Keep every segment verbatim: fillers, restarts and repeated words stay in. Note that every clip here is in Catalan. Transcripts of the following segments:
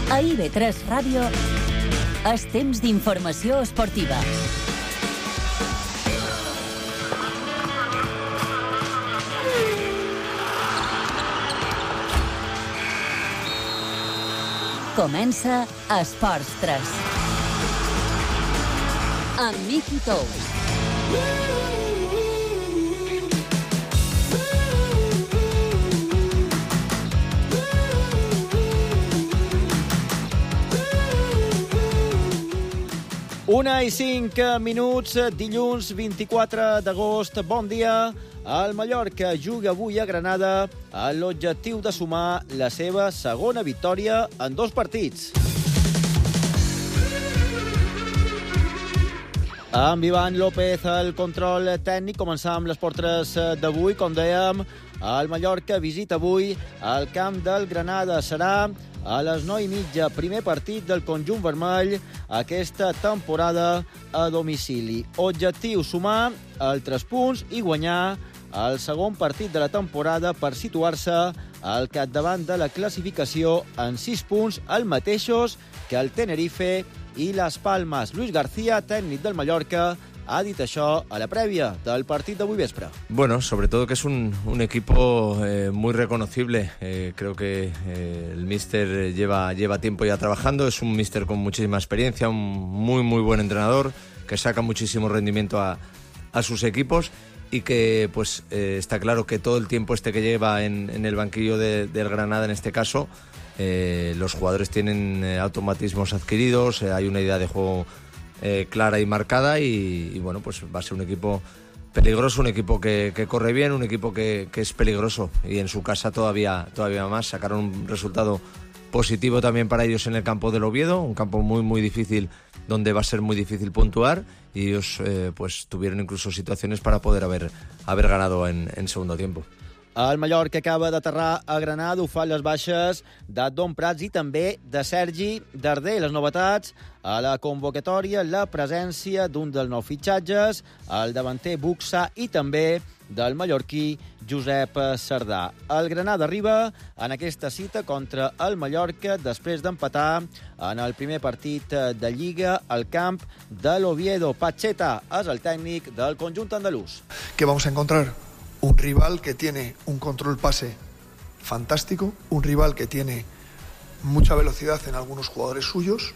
A I B tres Ràdio, és temps d'informació esportiva. Comença Esports tres. Amb Miki Tous. Una i cinc minuts, dilluns vint-i-quatre d'agost. Bon dia. El Mallorca juga avui a Granada amb l'objectiu de sumar la seva segona victòria en dos partits. Amb Ivan López al control tècnic, començam les portres d'avui. Com dèiem, el Mallorca visita avui el camp del Granada. Serà a les nou i mitja, primer partit del conjunt vermell aquesta temporada a domicili. Objectiu: sumar els tres punts i guanyar el segon partit de la temporada per situar-se al capdavant de la classificació en sis punts, els mateixos que el Tenerife i Las Palmas. Luis García, tècnic del Mallorca, ha dit això a la prèvia del partit d'avui vespre. Bueno, sobre todo que es un, un equipo eh, muy reconocible. Eh, creo que eh, el míster lleva, lleva tiempo ya trabajando. Es un míster con muchísima experiencia, un muy, muy buen entrenador, que saca muchísimo rendimiento a, a sus equipos y que pues eh, está claro que todo el tiempo este que lleva en, en el banquillo de, del Granada, en este caso, eh, los jugadores tienen eh, automatismos adquiridos, eh, hay una idea de juego Eh, clara y marcada y, y bueno, pues va a ser un equipo peligroso, un equipo que, que corre bien, un equipo que, que es peligroso y en su casa todavía, todavía más. Sacaron un resultado positivo también para ellos en el campo del Oviedo, un campo muy muy difícil donde va a ser muy difícil puntuar y ellos eh, pues tuvieron incluso situaciones para poder haber, haber ganado en, en segundo tiempo. El Mallorca acaba d'aterrar a Granada, ho fa les baixes d'Adon Prats i també de Sergi Darder. Les novetats a la convocatòria, la presència d'un dels nous fitxatges, el davanter Buxa i també del mallorquí Josep Sardà. El Granada arriba en aquesta cita contra el Mallorca després d'empatar en el primer partit de Lliga al camp de l'Oviedo. Pacheta és el tècnic del conjunt andalús. ¿Qué vamos a encontrar? Un rival que tiene un control pase fantástico, un rival que tiene mucha velocidad en algunos jugadores suyos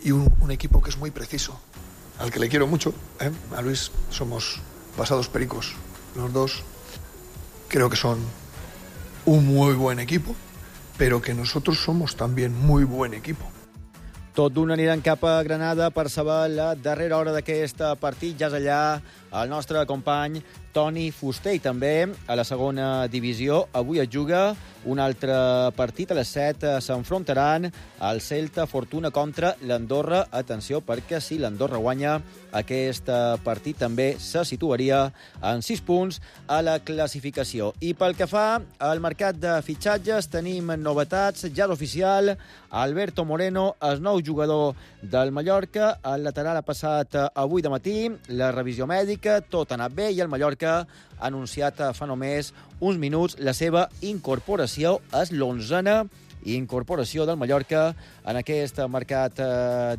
y un, un equipo que es muy preciso, al que le quiero mucho, ¿eh? A Luis, somos pasados pericos los dos, creo que son un muy buen equipo, pero que nosotros somos también muy buen equipo. Tot d'un aniran cap a Granada per saber la darrera hora d'aquest partit. Ja és allà el nostre company Toni Fuster i també a la segona divisió. Avui es juga un altre partit. A les set s'enfrontaran el Celta Fortuna contra l'Andorra. Atenció, perquè si l'Andorra guanya aquest partit també se situaria en sis punts a la classificació. I pel que fa al mercat de fitxatges, tenim novetats. Ja és oficial, Alberto Moreno, el nou jugador del Mallorca. El lateral ha passat avui de matí la revisió mèdica, tot ha anat bé i el Mallorca ha anunciat fa només uns minuts la seva incorporació. És l'onzena incorporació del Mallorca en aquest mercat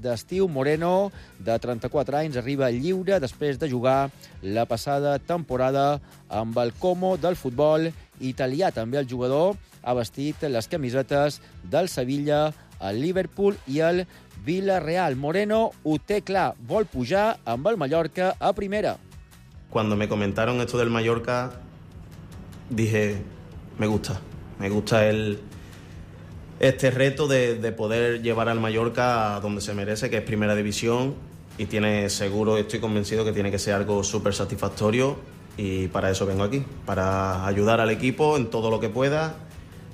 d'estiu. Moreno, de trenta-quatre anys, arriba lliure després de jugar la passada temporada amb el Como del futbol italià. També el jugador ha vestit les camisetes del Sevilla, el Liverpool i el Villarreal. Moreno ho té clar, vol pujar amb el Mallorca a primera. Cuando me comentaron esto del Mallorca, dije, me gusta, me gusta el, este reto de, de poder llevar al Mallorca a donde se merece, que es Primera División, y tiene seguro, estoy convencido que tiene que ser algo súper satisfactorio, y para eso vengo aquí, para ayudar al equipo en todo lo que pueda,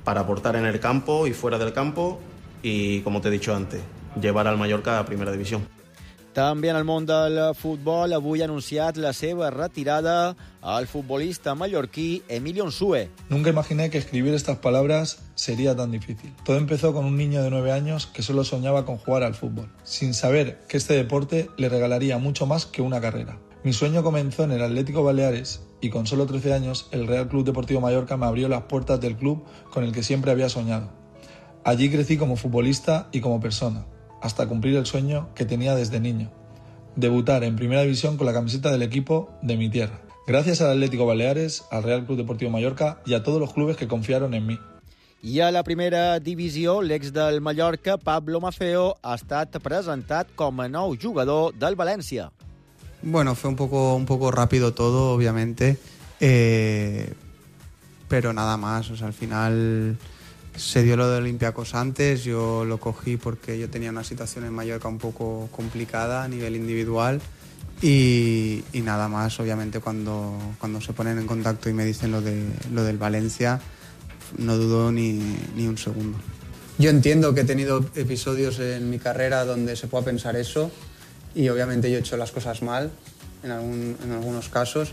para aportar en el campo y fuera del campo, y como te he dicho antes, llevar al Mallorca a Primera División. També en el món del futbol, avui ha anunciat la seva retirada al futbolista mallorquí Emilio Nsue. Nunca imaginé que escribir estas palabras sería tan difícil. Todo empezó con un niño de nueve años que solo soñaba con jugar al fútbol, sin saber que este deporte le regalaría mucho más que una carrera. Mi sueño comenzó en el Atlético Baleares y con solo trece años el Real Club Deportivo Mallorca me abrió las puertas del club con el que siempre había soñado. Allí crecí como futbolista y como persona, hasta cumplir el sueño que tenía desde niño: debutar en Primera División con la camiseta del equipo de mi tierra. Gracias al Atlético Baleares, al Real Club Deportivo Mallorca y a todos los clubes que confiaron en mí. I a la primera divisió, l'ex del Mallorca, Pablo Maffeo, ha estat presentat com a nou jugador del València. Bueno, fue un poco, un poco rápido todo, obviamente, eh, pero nada más. O sea, al final se dio lo de Olympiacos antes, yo lo cogí porque yo tenía una situación en Mallorca un poco complicada a nivel individual y, y nada más. Obviamente cuando, cuando se ponen en contacto y me dicen lo, de, lo del Valencia, no dudo ni, ni un segundo. Yo entiendo que he tenido episodios en mi carrera donde se pueda pensar eso y obviamente yo he hecho las cosas mal en, algún, en algunos casos,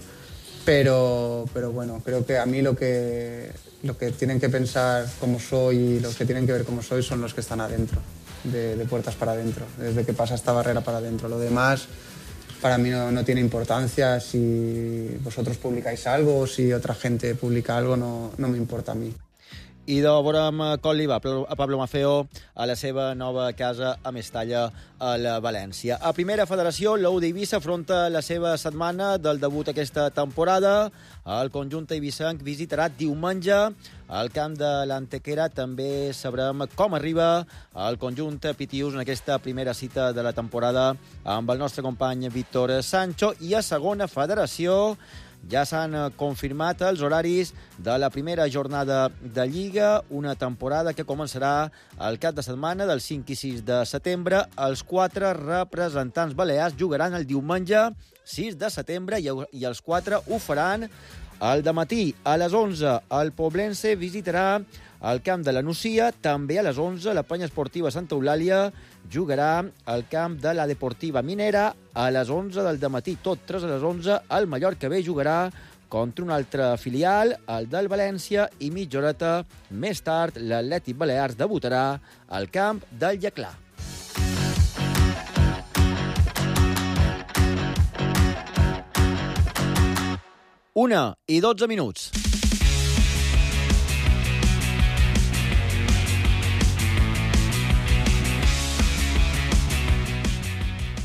pero, pero bueno, creo que a mí lo que, lo que tienen que pensar cómo soy y los que tienen que ver cómo soy son los que están adentro, de, de puertas para adentro, desde que pasa esta barrera para adentro. Lo demás para mí no, no tiene importancia. Si vosotros publicáis algo o si otra gente publica algo, no, no me importa a mí. I de veurem com li va a Pablo Maffeo a la seva nova casa a Mestalla, a la València. A Primera Federació, l'U d'Eivissa afronta la seva setmana del debut aquesta temporada. El conjunt eivissenc visitarà diumenge al camp de l'Antequera. També sabrem com arriba el conjunt pitius en aquesta primera cita de la temporada amb el nostre company Víctor Sancho. I a Segona Federació ja s'han confirmat els horaris de la primera jornada de Lliga, una temporada que començarà el cap de setmana del cinc i sis de setembre. Els quatre representants balears jugaran el diumenge sis de setembre i els quatre ho faran al dematí. A les onze, el Poblense visitarà el camp de la Nucia. També a les onze, la Penya Esportiva Santa Eulàlia jugarà al camp de la Deportiva Minera. A les onze del dematí, tot tres a les onze, el Mallorca B jugarà contra un altre filial, el del València, i mitja horeta més tard l'Atlètic Balears debutarà al camp del Llaclà. Una i dotze minuts.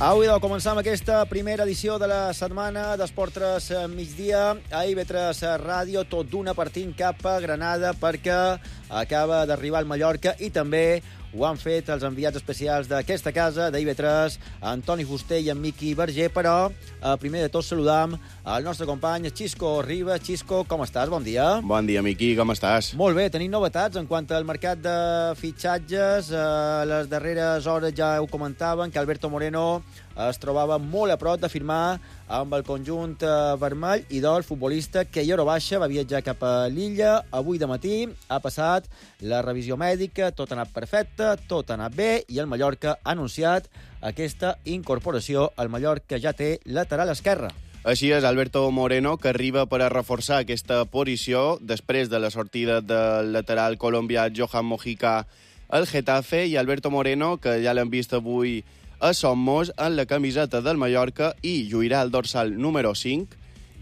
Avui de començar amb aquesta primera edició de la setmana d'Esport tres migdia a I V tres Ràdio, tot d'una partint cap a Granada perquè acaba d'arribar al Mallorca i també ho han fet els enviats especials d'aquesta casa, d'I V tres, Antoni Fuster i en Miqui Verger, però eh, primer de tot saludam el nostre company Xisco Ribas. Xisco, com estàs? Bon dia. Bon dia, Miqui, com estàs? Molt bé, tenim novetats en quant al mercat de fitxatges. A les darreres hores ja ho comentaven que Alberto Moreno es trobava molt a prop de firmar amb el conjunt vermell i del futbolista que a hora baixa va viatjar cap a l'illa. Avui de matí ha passat la revisió mèdica, tot ha anat perfecte, tot ha anat bé i el Mallorca ha anunciat aquesta incorporació. El Mallorca ja té lateral esquerre. Així és, Alberto Moreno, que arriba per a reforçar aquesta posició després de la sortida del lateral colombià Johan Mojica al Getafe, i Alberto Moreno, que ja l'hem vist avui a Somos en la camiseta del Mallorca i lluirà el dorsal número cinc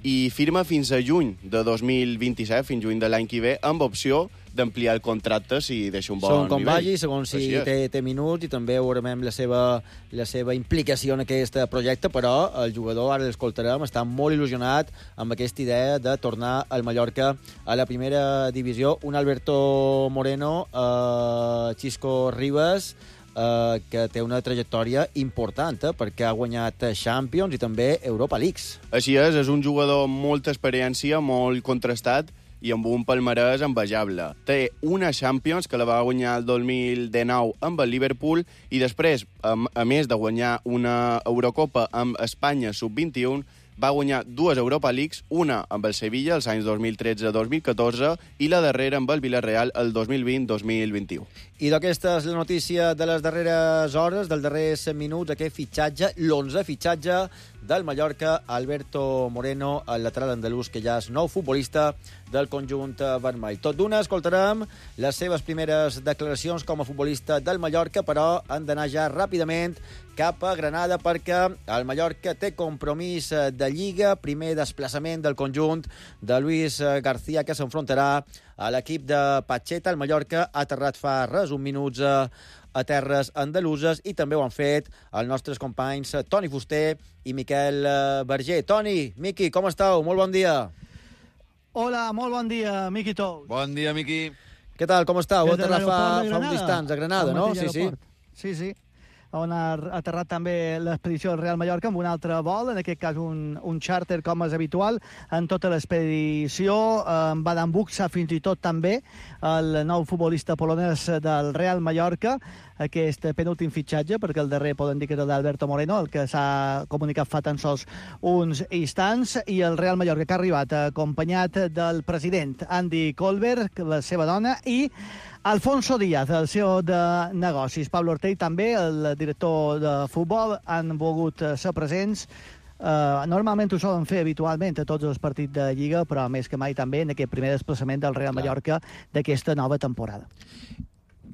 i firma fins a juny de dos mil vint-i-set, fins juny de l'any que ve, amb opció d'ampliar el contracte si deixa un bon Segons com nivell. vagi, segons si té, té minuts, i també veurem la seva, la seva implicació en aquest projecte, però el jugador, ara l'escoltarem, està molt il·lusionat amb aquesta idea de tornar al Mallorca a la primera divisió. Un Alberto Moreno, eh, Xisco Ribas, Uh, que té una trajectòria important, eh, perquè ha guanyat Champions i també Europa Leagues. Així és, és un jugador amb molta experiència, molt contrastat i amb un palmarès envejable. Té una Champions que la va guanyar el dos mil dinou amb el Liverpool i després, a, a més de guanyar una Eurocopa amb Espanya sub vint-i-u, va guanyar dues Europa Leagues, una amb el Sevilla els anys dos mil tretze dos mil catorze i la darrera amb el Villarreal el dos mil vint dos mil vint-i-u. I d'aquesta és la notícia de les darreres hores, dels darrers minuts, aquest fitxatge, l'onze fitxatge del Mallorca, Alberto Moreno, el lateral andalús, que ja és nou futbolista del conjunt vermell. Tot d'una, escoltarem les seves primeres declaracions com a futbolista del Mallorca, però han d'anar ja ràpidament cap a Granada perquè el Mallorca té compromís de Lliga, primer desplaçament del conjunt de Luis García, que s'enfrontarà a l'equip de Pacheta. El Mallorca ha aterrat fa res, un minuts a, a terres andaluses, i també ho han fet els nostres companys Toni Fuster i Miquel Berger. Toni, Miqui, com esteu? Molt bon dia. Hola, molt bon dia, Miqui Tous. Bon dia, Miqui. Què tal, com esteu? Heu aterrat fa, fa un distants a Granada, no? Sí, sí. Sí, sí. On ha aterrat també l'expedició del Real Mallorca amb un altre vol, en aquest cas un, un xàrter com és habitual en tota l'expedició. En Badan Buxa fins i tot també, el nou futbolista polonès del Real Mallorca, aquest penúltim fitxatge, perquè el darrer poden dir que és el d'Alberto Moreno, el que s'ha comunicat fa tan sols uns instants, i el Real Mallorca que ha arribat acompanyat del president Andy Colbert, la seva dona, i Alfonso Díaz, el C E O de negocis. Pablo Ortell també, el director de futbol, han volgut ser presents. Uh, normalment ho solen fer habitualment a tots els partits de Lliga, però més que mai també en aquest primer desplaçament del Real Mallorca d'aquesta nova temporada.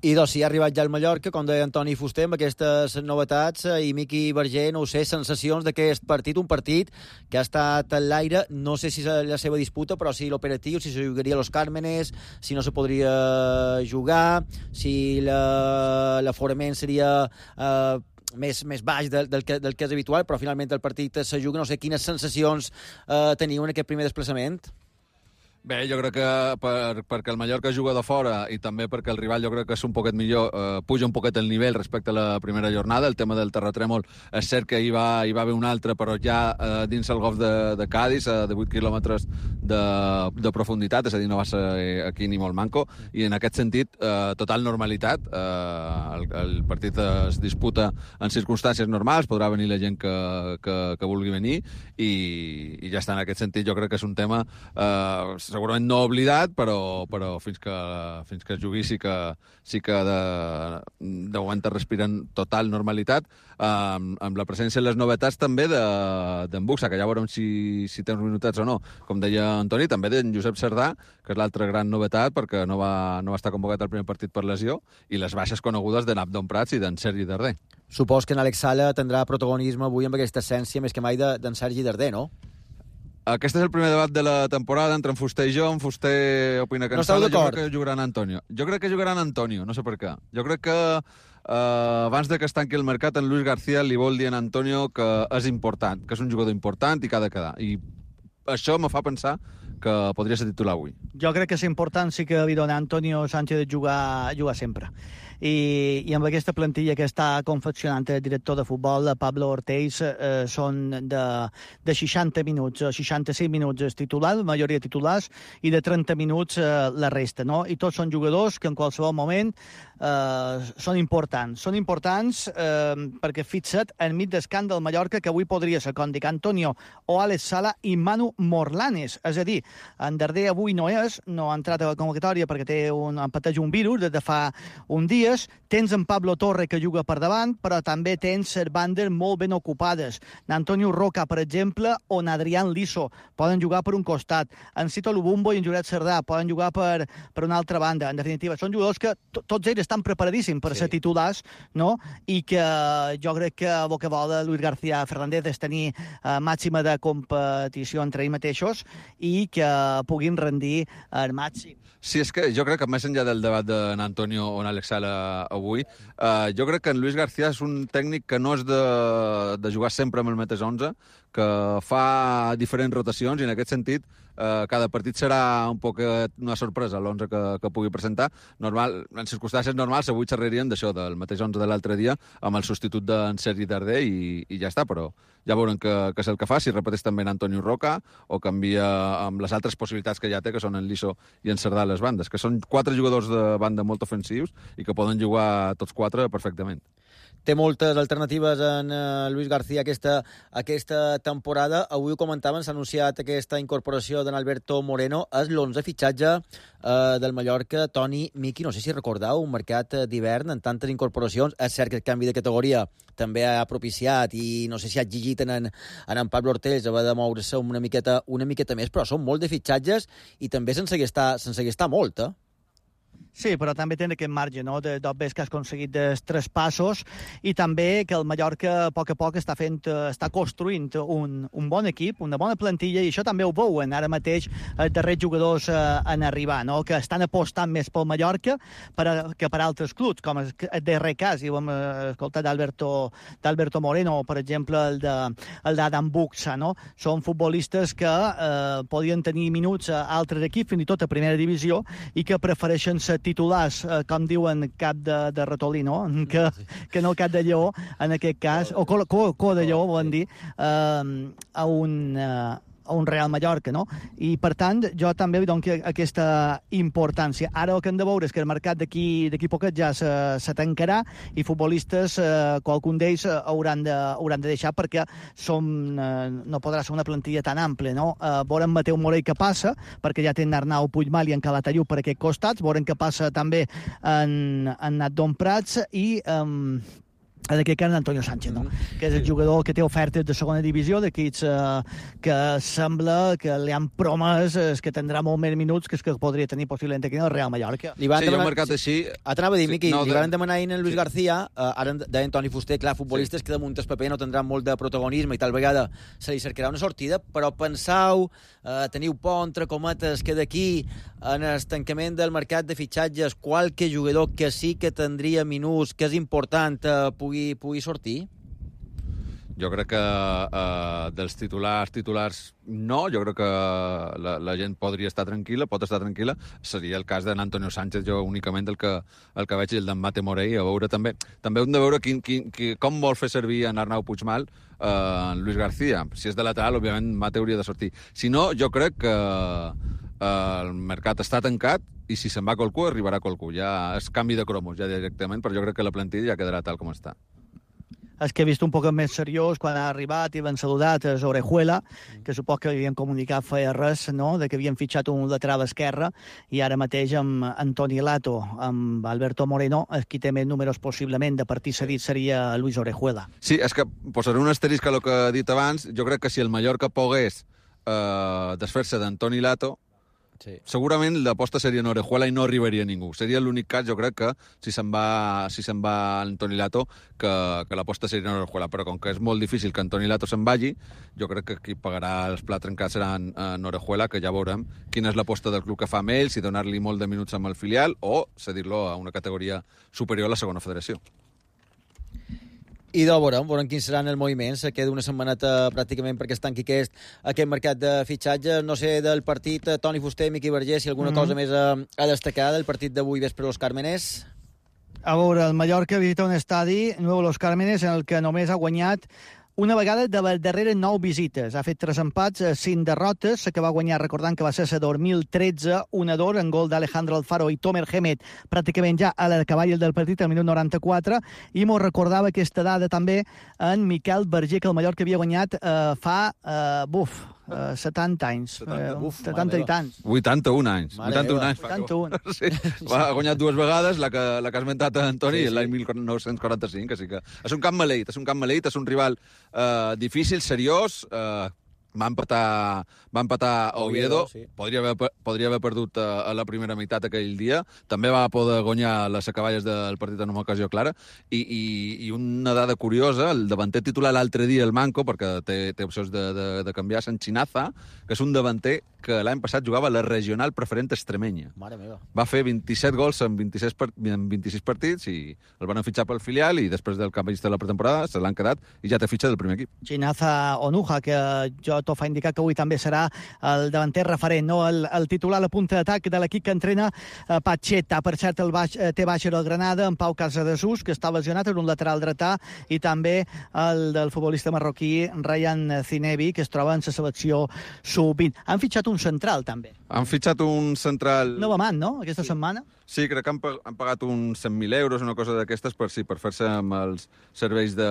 I doncs, si ha arribat ja al Mallorca, com deia Antoni Fuster, amb aquestes novetats, i Miqui Berger, no ho sé, sensacions d'aquest partit, un partit que ha estat en l'aire, no sé si és la seva disputa, però si l'operatiu, si se jugaria a Los Cármenes, si no se podria jugar, si l'aforament seria eh, més, més baix del, del, que, del que és habitual, però finalment el partit se juga. No sé quines sensacions eh, teniu en aquest primer desplaçament. Bé, jo crec que per, perquè el Mallorca juga de fora i també perquè el rival jo crec que és un poquet millor, eh, puja un poquet el nivell respecte a la primera jornada. El tema del terratrèmol és cert que hi va, hi va haver un altre, però ja eh, dins el golf de, de Cádiz, eh, de vuit quilòmetres de, de profunditat, és a dir, no va ser aquí ni molt manco, i en aquest sentit, eh, total normalitat. Eh, el, el partit es disputa en circumstàncies normals, podrà venir la gent que, que, que vulgui venir, i, i ja està. En aquest sentit jo crec que és un tema eh, segurament no oblidat, però, però fins, que, fins que es jugui sí que, sí que de, de moment es respiren total normalitat, amb, amb la presència de les novetats també d'en de, Buxa, que ja veurem si, si té uns minutats o no. Com deia Antoni, també d'en Josep Cerdà, que és l'altra gran novetat, perquè no va, no va estar convocat al primer partit per lesió, i les baixes conegudes de Abdon Prats i d'en Sergi Darder. Supos que en Alex Sala tindrà protagonisme avui amb aquesta essència més que mai d'en Sergi Darder, no? Aquest és el primer debat de la temporada entre en Fuster i jo. En Fuster opina que no en Sala, jo crec que jugaran Antonio. Jo crec que jugaran Antonio, no sé per què. Jo crec que eh, abans de que es tanqui el mercat, en Luis García li vol dir a Antonio que és important, que és un jugador important i que ha de quedar. I això me fa pensar que podria ser titular avui. Jo crec que és important, sí que li dona Antonio Sánchez jugar, jugar sempre. I, i amb aquesta plantilla que està confeccionant el director de futbol, Pablo Ortells, eh, són de, de seixanta minuts, seixanta-cinc minuts és titular, la majoria titulars, i de trenta minuts eh, la resta, no? I tots són jugadors que en qualsevol moment eh, són importants. Són importants eh, perquè fixa't enmig d'escàndol del Mallorca, que avui podria ser, com dic, Antonio o Alex Sala i Manu Morlanes. És a dir, en Darder avui no és, no ha entrat a la convocatòria perquè té un, pateix un virus des de fa un dia. Tens en Pablo Torre, que juga per davant, però també tens bandes molt ben ocupades. N'Antonio Roca, per exemple, o n'Adrián Liso poden jugar per un costat. En Cito Lubumbo i en Josep Cerdà poden jugar per, per una altra banda. En definitiva, són jugadors que tots ells estan preparadíssims per sí. ser titulars, no? I que jo crec que el que vol Luis García Fernández és tenir eh, màxima de competició entre ells mateixos i que puguin rendir al màxim. Sí, és que jo crec que més enllà del debat d'en Antonio o en Alex Sala avui, eh, jo crec que en Luis García és un tècnic que no és de, de jugar sempre amb el mateix onze, que fa diferents rotacions, i en aquest sentit eh, cada partit serà un poc una sorpresa l'onze que, que pugui presentar. Normal, en circumstàncies normals avui xerraríem d'això, del mateix onze de l'altre dia, amb el substitut d'en Sergi Darder, i, i ja està, però ja veurem que, que és el que fa, si repeteix també en Antonio Roca o canvia amb les altres possibilitats que ja té, que són en Liso i en Cerdà a les bandes, que són quatre jugadors de banda molt ofensius i que poden jugar tots quatre perfectament. Té moltes alternatives en uh, Luis García aquesta, aquesta temporada. Avui ho comentaven, s'ha anunciat aquesta incorporació d'en Alberto Moreno. És l'onze fitxatge uh, del Mallorca. Toni, Miqui, no sé si recordeu un mercat d'hivern en tantes incorporacions. És cert que el canvi de categoria també ha propiciat i no sé si ha exigit en, en, en Pablo Ortells haver de moure-se una miqueta, una miqueta més, però són molt de fitxatges i també sense gastar, sense gastar molt, eh? Sí, però també tenen aquest marge, no?, de d'obres que has aconseguit dels tres passos i també que el Mallorca a poc a poc està fent, està construint un, un bon equip, una bona plantilla, i això també ho veuen ara mateix els darrers jugadors eh, en arribar, no?, que estan apostant més pel Mallorca per a, que per altres clubs, com el darrer cas, i ho hem escoltat d'Alberto, d'Alberto Moreno, per exemple, el de el d'Adam Buxa, no? Són futbolistes que eh, podien tenir minuts a altres equips, fins i tot a primera divisió, i que prefereixen ser titulars, eh, com diuen cap de, de ratolí, no?, que, que no cap de lleó, en aquest cas, o co, co, co de lleó, volen dir, eh, a un... Eh, a un Real Mallorca, no? I, per tant, jo també li dono aquesta importància. Ara el que hem de veure és que el mercat d'aquí d'aquí poquet ja se, se tancarà i futbolistes, eh, qualcun d'ells eh, hauran, de, hauran de deixar perquè som, eh, no podrà ser una plantilla tan àmplia, no? Eh, veurem Mateu Morell que passa, perquè ja tenen Arnau Puigmal i en Calatayud per aquests costats, veurem que passa també en, en Natdon Prats i... Eh, en aquest cas Antonio Sánchez, no? Mm-hmm. Que és el jugador que té ofertes de segona divisió, d'aquests eh, que sembla que li han promès eh, que tindrà molt més minuts que els que podria tenir possiblement aquí en el Real Mallorca. Li van sí, demanar... jo he marcat així... T'anava a dir, Miqui, no, li de... van demanar ahir en Luis sí. García, eh, ara deia Toni Fuster, clar, futbolistes sí. que damunt el paper no tindran molt de protagonisme i tal vegada se li cercarà una sortida, però pensau, eh, teniu por, entre cometes, que d'aquí, en el tancament del mercat de fitxatges, qualque jugador que sí que tindria minuts, que és important, eh, pugui, pugui sortir? Jo crec que eh, dels titulars, titulars, no. Jo crec que la, la gent podria estar tranquil·la, pot estar tranquil·la. Seria el cas d'Antonio Sánchez, jo únicament el que, el que veig, i el d'en Mate Morell. A veure també, també hem de veure quin, quin, quin, com vol fer servir en Arnau Puigmal eh, en Luis García. Si és de lateral, òbviament, Mate hauria de sortir. Si no, jo crec que eh, el mercat està tancat i si se'n va qualcú, arribarà qualcú. Ja és canvi de cromos, ja directament, però jo crec que la plantilla ja quedarà tal com està. És que he vist un poc més seriós quan ha arribat i l'han saludat a Orejuela, que supos que havien comunicat feia res, no?, de que havien fitxat un lateral esquerre, i ara mateix amb Antoni Lato, amb Alberto Moreno, el qui té més números possiblement de partit cedit seria Luis Orejuela. Sí, és que posaré un asterisc a el que he dit abans. Jo crec que si el Mallorca pogués eh, desfer-se d'Antoni Lato, sí. segurament l'aposta seria en Orejuela i no arribaria ningú. Seria l'únic cas, jo crec, que si se'n va, si se'n va Antoni Lato, que, que l'aposta seria en Orejuela. Però com que és molt difícil que Antoni Lato se'n vagi, jo crec que qui pagarà els plats trencats serà en, en Orejuela, que ja veurem quina és l'aposta del club que fa amb ell, si donar-li molt de minuts amb el filial o cedir-lo a una categoria superior a la segona federació. I de veurem, veurem quins seran els moviments. Queda una setmaneta pràcticament perquè es tanqui aquest, aquest mercat de fitxatges. No sé, del partit, Toni Fuster, Miqui Vergés, si alguna mm-hmm. cosa més a, a destacar del partit d'avui vespre a Los Cármenes. A veure, el Mallorca visita un estadi, Nuevo Los Cármenes, en el que només ha guanyat una vegada de les darreres nou visites. Ha fet tres empats, cinc derrotes, que va guanyar, recordant que va ser el dos mil tretze, un a dos, en gol d'Alejandro Alfaro i Tomer Hemet, pràcticament ja a la cavall del partit, al minut noranta-quatre, i m'ho recordava aquesta dada també en Miquel Verger, que el Mallorca havia guanyat eh, fa, eh, buf, eh, setanta anys. setanta, eh, buf, setanta i tants. vuitanta-un anys. Mare vuitanta-un meva. anys. vuitanta-un. Sí, va, ha guanyat dues vegades, la que, la que has mentat Antoni, Sí, sí. l'any mil nou-cents quaranta-cinc, així que és un camp maleït, és un camp maleït, és un rival eh, difícil, seriós, eh, va empatar, va empatar a Oviedo, Oviedo, sí. podria, haver, podria haver perdut a, a la primera meitat aquell dia, també va poder guanyar les acaballes del partit en una ocasió clara, i, i, i una dada curiosa, el davanter titular l'altre dia, el Manco, perquè té, té opcions de, de, de canviar, Sanchinaza, que és un davanter que l'any passat jugava a la regional preferent extremenya. Mare meva. Va fer vint-i-set gols en vint-i-sis, part... en vint-i-sis partits i el van fitxar pel filial i després del canvi de la pretemporada se l'han quedat i ja té fitxa del primer equip. Chinaza Onuja, que jo t'ho fa indicar que avui també serà el davanter referent, no? el, el titular a la punta d'atac de l'equip que entrena eh, Pacheta. Per cert, el baix, eh, té baixa el Granada, en Pau Casadesús, que està lesionat en un lateral dretà, i també el del futbolista marroquí Ryan Zinebi, que es troba en la selecció sub vint. Han fitxat un central, també. Han fitxat un central... Nova man, no?, aquesta sí. setmana. Sí, crec que han, han pagat uns cent mil euros, una cosa d'aquestes, per, sí, per fer-se amb els serveis de...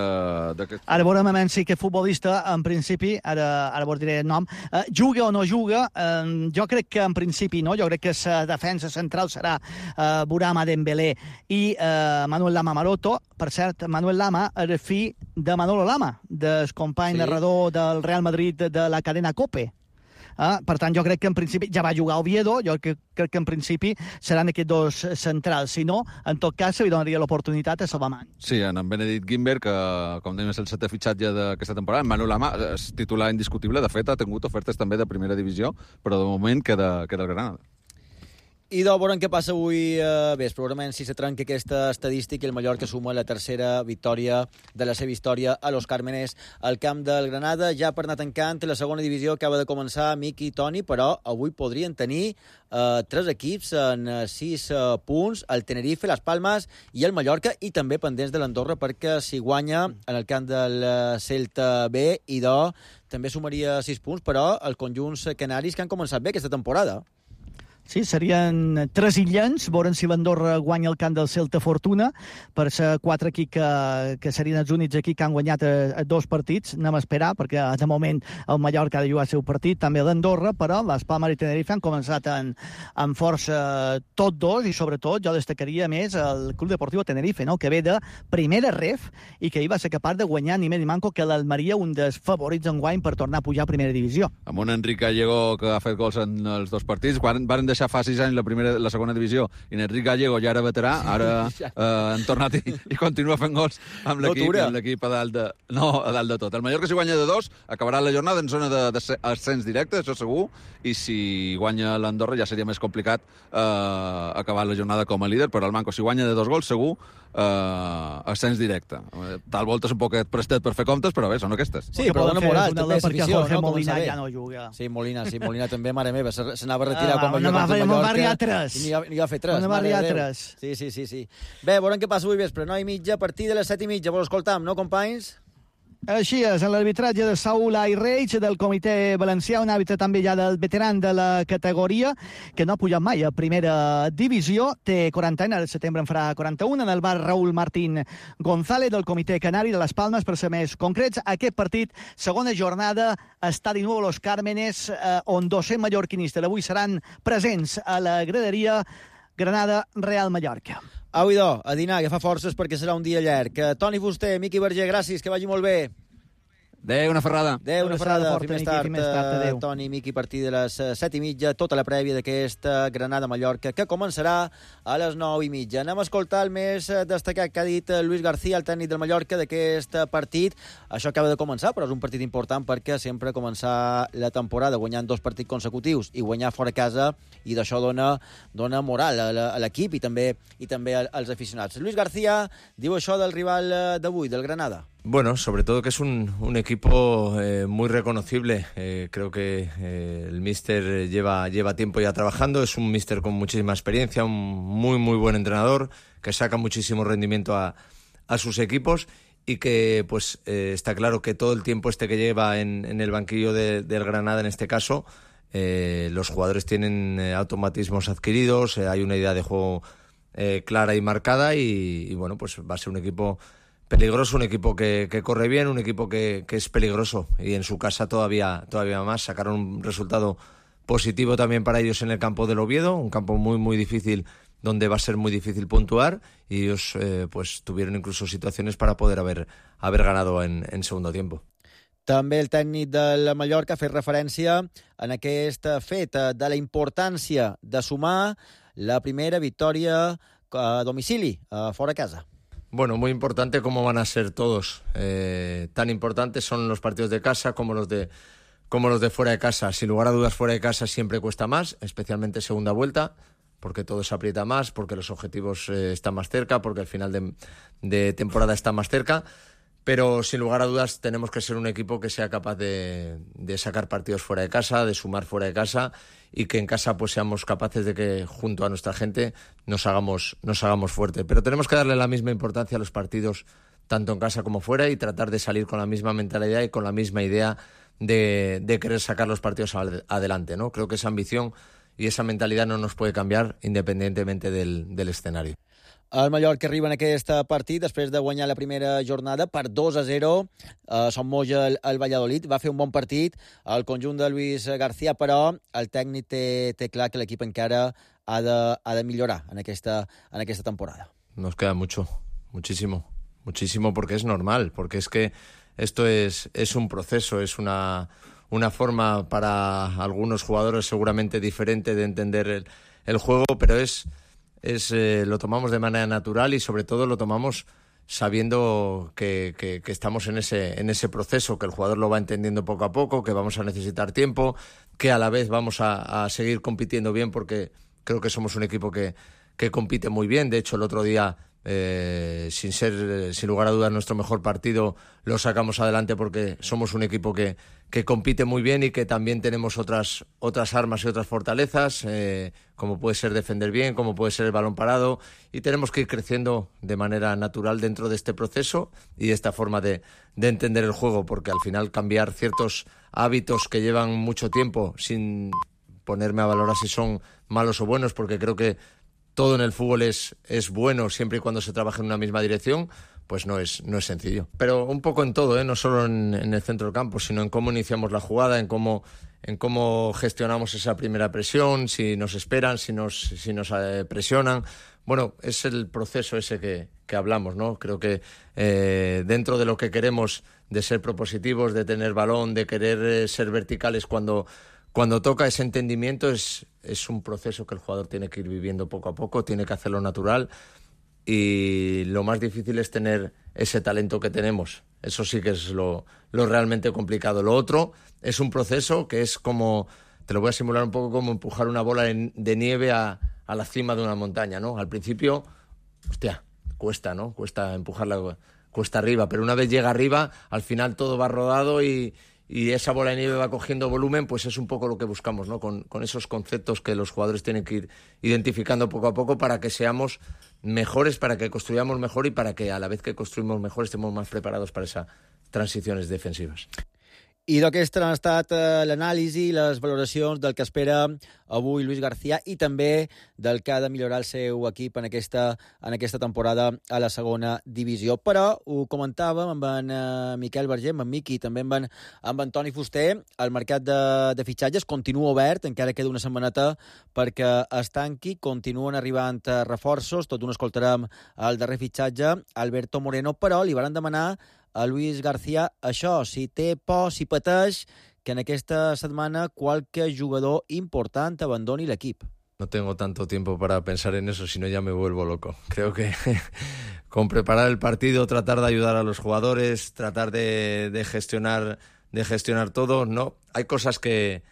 Ara veurem a si aquest futbolista, en principi, ara, ara vos diré el nom, eh, juga o no juga, eh, jo crec que en principi no, jo crec que la defensa central serà eh, Burama Dembélé i eh, Manuel Lama Maroto. Per cert, Manuel Lama era fill de Manolo Lama, del company sí. narrador del Real Madrid de la cadena COPE. Eh? Per tant, jo crec que en principi ja va jugar Oviedo, jo crec, crec que en principi seran aquests dos centrals. Si no, en tot cas, se li donaria l'oportunitat a Salvamant. Sí, en Benedict Guimber, que, com dèiem, és el setè fitxatge d'aquesta temporada. En Manu Lama és titular indiscutible. De fet, ha tingut ofertes també de primera divisió, però de moment queda, queda el Granada. I de veurem què passa avui eh, vespre. Segurament si se trenca aquesta estadística i el Mallorca suma la tercera victòria de la seva història a Los Cármenes al camp del Granada. Ja per anar tancant, la segona divisió acaba de començar, Miqui i Toni, però avui podrien tenir eh, tres equips en sis eh, punts, el Tenerife, les Palmes i el Mallorca, i també pendents de l'Andorra, perquè si guanya en el camp del Celta B, i de també sumaria sis punts, però els conjunts canaris que han començat bé aquesta temporada. Sí, serien tres illens, veurem si l'Andorra guanya el camp del Celta Fortuna, per ser quatre equips que, que serien els únics aquí que han guanyat a, a dos partits. Anem a esperar, perquè de moment el Mallorca ha de jugar el seu partit, també l'Andorra, però les Palmes i Tenerife han començat en, en força tots dos, i sobretot jo destacaria més el Club Deportiu Tenerife, no? Que ve de primera ref i que hi va ser capaç de guanyar ni més ni manco que l'Almeria, un dels favorits enguany per tornar a pujar a primera divisió. Amb un Enric Gallego que ha fet gols en els dos partits, van, van deixar fa sis anys la, primera, la segona divisió, i Enric Gallego ja era veterà, ara eh, han tornat i, i continua fent gols amb l'equip, amb l'equip a dalt de... No, a dalt de tot. El Mallorca, si guanya de dos, acabarà la jornada en zona d'ascens directe, això segur, i si guanya l'Andorra ja seria més complicat eh, acabar la jornada com a líder, però el Manco, si guanya de dos gols, segur eh, ascens directe. Tal volta és un poquet prestet per fer comptes, però bé, són aquestes. Sí, però dona moral, també, perquè Jorge Molina ja no juga. Sí, Molina, sí, Molina també, mare meva, s'anava a retirar ah, quan va jugar contra Mallorca. Va arribar tres. I n'hi va fer tres. No va arribar tres. Sí, sí, sí, sí. Bé, veurem què passa avui vespre. nou i mitja, a partir de les set i mitja. Vos escoltam, no, companys? Així és, en l'arbitratge de Saúl Ayreich del comitè valencià, un àrbitre també ja del veteran de la categoria, que no ha pujat mai a primera divisió, té quaranta anys, al setembre en farà quaranta-un, en el bar Raúl Martín González del comitè canari de les Palmes, per ser més concrets. Aquest partit, segona jornada, està de nou a Los Cármenes, eh, on dos-cents mallorquinistes avui seran presents a la graderia Granada-Real Mallorca. Au, idò, a dinar, que fa forces perquè serà un dia llarg. Toni Fuster, Miqui Verger, gràcies, que vagi molt bé. Adéu, una ferrada. Adéu, una ferrada. Fins més tard, tard Toni, Miqui, a partir de les set i mitja, tota la prèvia d'aquesta Granada-Mallorca, que començarà a les nou i mitja. Anem a escoltar el més destacat que ha dit Luis García, el tècnic del Mallorca, d'aquest partit. Això acaba de començar, però és un partit important perquè sempre començar la temporada guanyant dos partits consecutius i guanyar fora casa, i d'això dona, dona moral a l'equip i també, i també als aficionats. Luis García diu això del rival d'avui, del Granada. Bueno, sobre todo que es un, un equipo eh, muy reconocible. Eh, creo que eh, el míster lleva, lleva tiempo ya trabajando. Es un míster con muchísima experiencia, un muy, muy buen entrenador, que saca muchísimo rendimiento a, a sus equipos, y que pues eh, está claro que todo el tiempo este que lleva en, en el banquillo de, del Granada, en este caso, eh, los jugadores tienen eh, automatismos adquiridos, eh, hay una idea de juego eh, clara y marcada, y, y bueno, pues va a ser un equipo peligroso, un equipo que, que corre bien, un equipo que, que es peligroso, y en su casa todavía, todavía más. Sacaron un resultado positivo también para ellos en el campo del Oviedo, un campo muy muy difícil, donde va a ser muy difícil puntuar, y ellos eh, pues tuvieron incluso situaciones para poder haber, haber ganado en, en segundo tiempo. També el tècnic del Mallorca ha fet referència en aquest fet de la importància de sumar la primera victòria a domicili, a fora casa. Bueno, muy importante como van a ser todos. Eh, tan importantes son los partidos de casa como los de, como los de fuera de casa. Sin lugar a dudas, fuera de casa siempre cuesta más, especialmente segunda vuelta, porque todo se aprieta más, porque los objetivos eh, están más cerca, porque el final de, de temporada está más cerca. Pero sin lugar a dudas tenemos que ser un equipo que sea capaz de, de sacar partidos fuera de casa, de sumar fuera de casa, y que en casa pues seamos capaces de que junto a nuestra gente nos hagamos, nos hagamos fuerte. Pero tenemos que darle la misma importancia a los partidos tanto en casa como fuera, y tratar de salir con la misma mentalidad y con la misma idea de, de querer sacar los partidos adelante, ¿no? Creo que esa ambición y esa mentalidad no nos puede cambiar independientemente del, del escenario. El Mallorca arriba en aquest partit després de guanyar la primera jornada per dos a zero. Uh, Son Moja, el, el Valladolid, va fer un bon partit. El conjunt de Luis García, però el tècnic té, té clar que l'equip encara ha de, ha de millorar en aquesta, en aquesta temporada. Nos queda mucho, muchísimo, muchísimo, porque es normal, porque es que esto es, es un proceso, es una, una forma para algunos jugadores seguramente diferente de entender el, el juego, pero es, es eh, lo tomamos de manera natural y sobre todo lo tomamos sabiendo que, que, que estamos en ese, en ese proceso, que el jugador lo va entendiendo poco a poco, que vamos a necesitar tiempo, que a la vez vamos a, a seguir compitiendo bien, porque creo que somos un equipo que, que compite muy bien. De hecho, el otro día, eh, sin ser, sin lugar a dudas, nuestro mejor partido lo sacamos adelante porque somos un equipo que, que compite muy bien y que también tenemos otras, otras armas y otras fortalezas, eh, como puede ser defender bien, como puede ser el balón parado, y tenemos que ir creciendo de manera natural dentro de este proceso y de esta forma de, de entender el juego, porque al final cambiar ciertos hábitos que llevan mucho tiempo, sin ponerme a valorar si son malos o buenos, porque creo que todo en el fútbol es, es bueno siempre y cuando se trabaje en una misma dirección, pues no es, no es sencillo. Pero un poco en todo, ¿eh? No solo en, en el centro del campo, sino en cómo iniciamos la jugada, en cómo, en cómo gestionamos esa primera presión, si nos esperan, si nos, si nos eh, presionan. Bueno, es el proceso ese que, que hablamos, ¿no? Creo que eh, dentro de lo que queremos de ser propositivos, de tener balón, de querer eh, ser verticales cuando... Cuando toca ese entendimiento es, es un proceso que el jugador tiene que ir viviendo poco a poco, tiene que hacerlo natural, y lo más difícil es tener ese talento que tenemos. Eso sí que es lo, lo realmente complicado. Lo otro es un proceso que es como, te lo voy a simular un poco como empujar una bola de, de nieve a, a la cima de una montaña, ¿no? Al principio, hostia, cuesta, ¿no? Cuesta empujarla, cuesta arriba, pero una vez llega arriba, al final todo va rodado y... y esa bola de nieve va cogiendo volumen, pues es un poco lo que buscamos, ¿no? Con, con esos conceptos que los jugadores tienen que ir identificando poco a poco para que seamos mejores, para que construyamos mejor y para que a la vez que construimos mejor estemos más preparados para esas transiciones defensivas. I d'aquesta han estat eh, l'anàlisi i les valoracions del que espera avui Luis García i també del que ha de millorar el seu equip en aquesta, en aquesta temporada a la segona divisió. Però ho comentàvem amb en eh, Miquel Verger, amb en Miqui i també amb en, amb en Toni Fuster. El mercat de, de fitxatges continua obert, encara queda una setmaneta perquè es tanqui. Continuen arribant eh, reforços, tot un escoltarem el darrer fitxatge, Alberto Moreno, però li van demanar a Luis García això, si té por, si pateix, que en aquesta setmana qualque jugador important abandoni l'equip. No tengo tanto tiempo para pensar en eso, si no ya me vuelvo loco. Creo que con preparar el partido, tratar de ayudar a los jugadores, tratar de, de gestionar de gestionar todo, no, hay cosas que,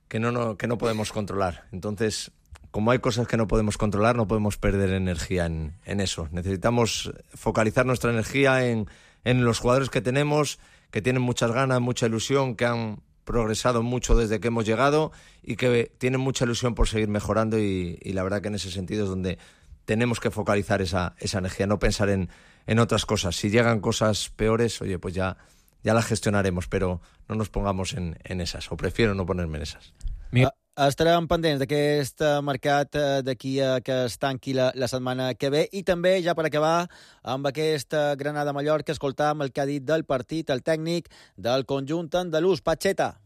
que, no, no, que no podemos controlar. Entonces, como hay cosas que no podemos controlar, no podemos perder energía en, en eso. Necesitamos focalizar nuestra energía en en los jugadores que tenemos, que tienen muchas ganas, mucha ilusión, que han progresado mucho desde que hemos llegado y que tienen mucha ilusión por seguir mejorando, y, y la verdad que en ese sentido es donde tenemos que focalizar esa, esa energía, no pensar en, en otras cosas. Si llegan cosas peores, oye, pues ya, ya las gestionaremos, pero no nos pongamos en, en esas, o prefiero no ponerme en esas. Mira. Estarem pendents d'aquest mercat d'aquí a que es tanqui la, la setmana que ve, i també, ja per acabar, amb aquest Granada-Mallorca, escoltam el que ha dit del partit el tècnic del conjunt andalús, Pacheta.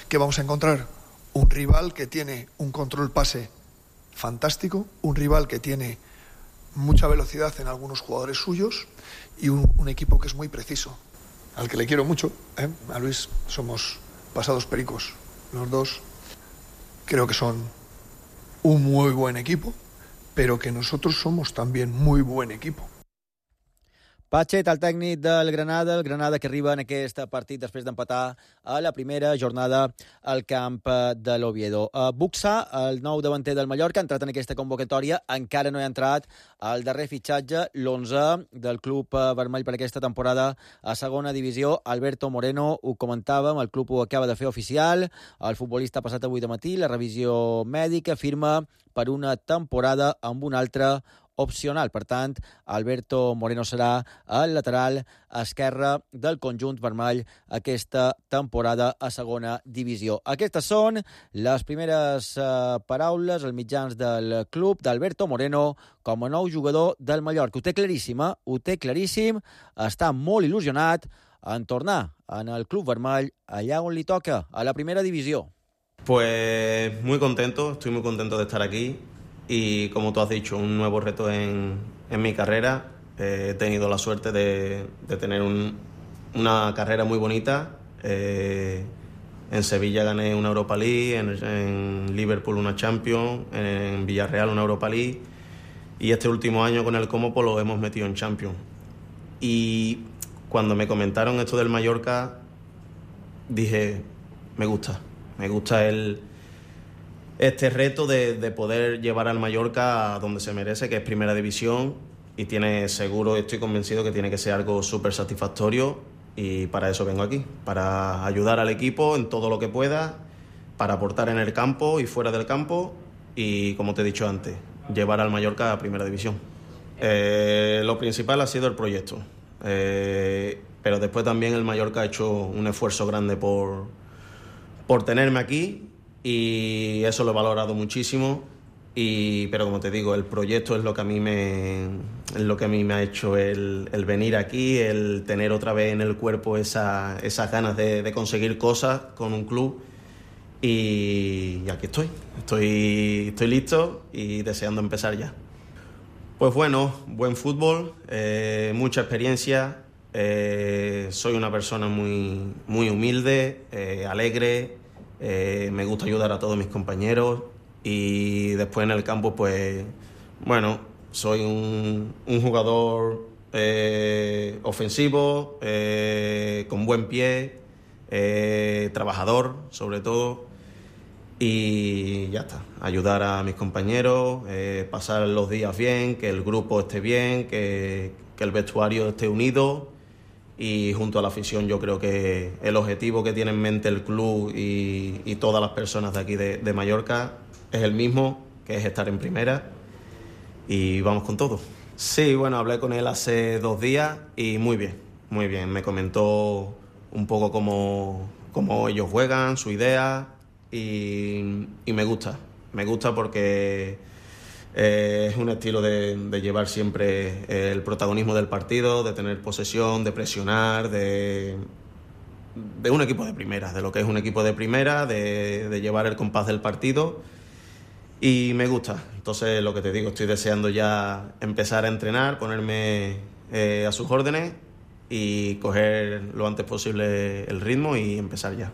Que vamos a encontrar un rival que tiene un control pase fantástico, un rival que tiene mucha velocidad en algunos jugadores suyos y un, un equipo que es muy preciso, al que le quiero mucho, ¿eh? A Luis, somos pasados pericos los dos. Creo que son un muy buen equipo, pero que nosotros somos también muy buen equipo. Pachet, el tècnic del Granada, el Granada que arriba en aquest partit després d'empatar a la primera jornada al camp de l'Oviedo. Buxa, el nou davanter del Mallorca, ha entrat en aquesta convocatòria, encara no ha entrat el darrer fitxatge, l'onze del club vermell per aquesta temporada a segona divisió, Alberto Moreno. Ho comentàvem, el club ho acaba de fer oficial, el futbolista ha passat avui de matí la revisió mèdica, firma per una temporada amb un altre opcional. Per tant, Alberto Moreno serà el lateral esquerre del conjunt vermell aquesta temporada a segona divisió. Aquestes són les primeres eh, paraules als mitjans del club d'Alberto Moreno com a nou jugador del Mallorca. Ho té claríssim, eh? Ho té claríssim. Està molt il·lusionat en tornar en el club vermell allà on li toca, a la primera divisió. Pues muy contento, estoy muy contento de estar aquí. Y como tú has dicho, un nuevo reto en, en mi carrera. Eh, he tenido la suerte de, de tener un, una carrera muy bonita, eh, En Sevilla gané una Europa League, en, en Liverpool una Champions, en Villarreal una Europa League y este último año con el Como pues lo hemos metido en Champions. Y cuando me comentaron esto del Mallorca dije, me gusta, me gusta el, este reto de, de poder llevar al Mallorca a donde se merece, que es Primera División, y tiene seguro, estoy convencido que tiene que ser algo súper satisfactorio, y para eso vengo aquí, para ayudar al equipo en todo lo que pueda, para aportar en el campo y fuera del campo, y como te he dicho antes, llevar al Mallorca a Primera División. Eh, lo principal ha sido el proyecto, eh, pero después también el Mallorca ha hecho un esfuerzo grande por, por tenerme aquí, y eso lo he valorado muchísimo. Y, pero como te digo, el proyecto es lo que a mí me, es lo que a mí me ha hecho el, el venir aquí, el tener otra vez en el cuerpo esa, esas ganas de, de conseguir cosas con un club, y, y aquí estoy, estoy, estoy listo y deseando empezar ya. Pues bueno, buen fútbol, eh, mucha experiencia, eh, soy una persona muy, muy humilde, eh, alegre, eh, me gusta ayudar a todos mis compañeros. Y después en el campo, pues, bueno, soy un, un jugador eh, ofensivo, eh, con buen pie, eh, trabajador, sobre todo, y ya está. Ayudar a mis compañeros, eh, pasar los días bien, que el grupo esté bien, que, que el vestuario esté unido, y junto a la afición yo creo que el objetivo que tiene en mente el club y, y todas las personas de aquí de, de Mallorca es el mismo, que es estar en primera, y vamos con todo. Sí, bueno, hablé con él hace dos días y muy bien, muy bien. Me comentó un poco cómo, cómo ellos juegan, su idea, y, y me gusta. Me gusta porque eh, es un estilo de, de llevar siempre el protagonismo del partido, de tener posesión, de presionar, de... de un equipo de primera, de lo que es un equipo de primera, de, de llevar el compás del partido. Y me gusta, entonces lo que te digo, estoy deseando ya empezar a entrenar, ponerme eh, a sus órdenes y coger lo antes posible el ritmo y empezar ya.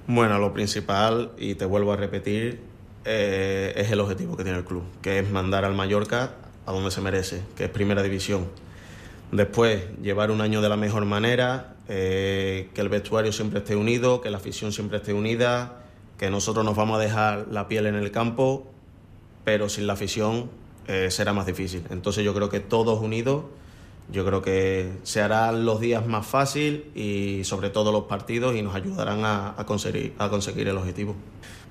Bueno, lo principal, y te vuelvo a repetir, eh, es el objetivo que tiene el club, que es mandar al Mallorca a donde se merece, que es Primera División. Después, llevar un año de la mejor manera, eh, que el vestuario siempre esté unido, que la afición siempre esté unida, que nosotros nos vamos a dejar la piel en el campo, pero sin la afición eh, será más difícil. Entonces yo creo que todos unidos, yo creo que se harán los días más fácil y sobre todo los partidos, y nos ayudarán a, a, conseguir, a conseguir el objetivo.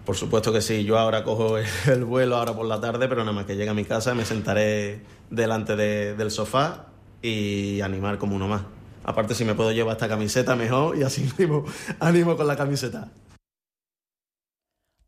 Por supuesto que sí, yo ahora cojo el, el vuelo ahora por la tarde, pero nada más que llegue a mi casa me sentaré delante de, del sofá y animar como uno más. Aparte, si me puedo llevar esta camiseta mejor, y así animo, animo con la camiseta.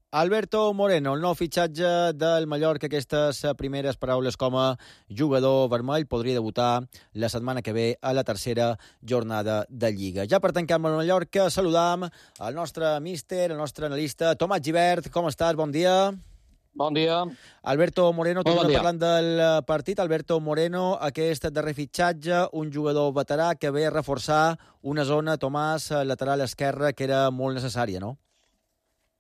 Alberto Moreno, el nou fitxatge del Mallorca, aquestes primeres paraules com a jugador vermell, podria debutar la setmana que ve a la tercera jornada de Lliga. Ja per tancar amb el Mallorca, saludam el nostre míster, el nostre analista, Tomàs Gibert. Com estàs? Bon dia. Bon dia. Alberto Moreno, bon tornem dia. parlant del partit. Alberto Moreno, aquest darrer fitxatge, un jugador veterà que ve a reforçar una zona, Tomàs, lateral esquerra, que era molt necessària, no?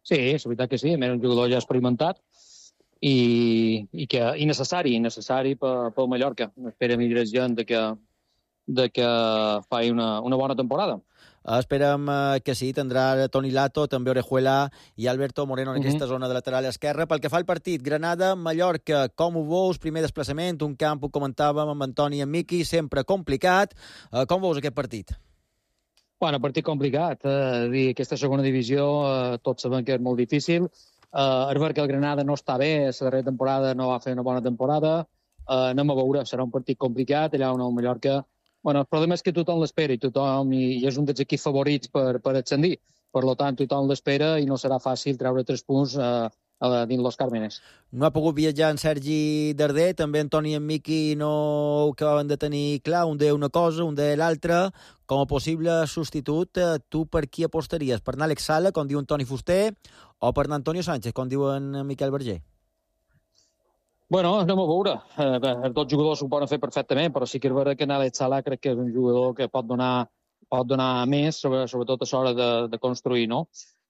Sí, és veritat que sí, a més un jugador ja experimentat i, i, que, i necessari, necessari per, pel Mallorca. Esperem i desitgem de que, de que faci una, una bona temporada. Esperem que sí, tindrà Toni Lato, també Orejuela i Alberto Moreno en aquesta uh-huh. zona de lateral esquerra. Pel que fa al partit, Granada-Mallorca, com ho veus? Primer desplaçament, un camp, ho comentàvem amb Antoni i amb Miqui, sempre complicat. Com veus aquest partit? Bueno, partit complicat. Eh, dir, aquesta segona divisió, eh, tots sabem que és molt difícil. Eh, és ver que el Granada no està bé, la darrera temporada no va fer una bona temporada. Eh, anem a veure, serà un partit complicat, allà on el Mallorca... Bueno, el problema és que tothom l'espera i tothom i, i és un dels equips favorits per, per ascendir. Per tant, tothom l'espera i no serà fàcil treure tres punts eh, dins Los Cármenes. No ha pogut viatjar en Sergi Darder, també Antoni i en Miqui no ho acabaven de tenir clar, un deia una cosa, un deia l'altra. Com a possible substitut, tu per qui apostaries? Per anar Àlex Sala, com diu Toni Fuster, o per anar Antonio Sánchez, com diu en Miquel Berger? Bueno, anem a veure. Eh, els dos jugadors ho poden fer perfectament, però sí que és vera que en Àlex Sala crec que és un jugador que pot donar pot donar més, sobretot a l'hora de, de construir, no?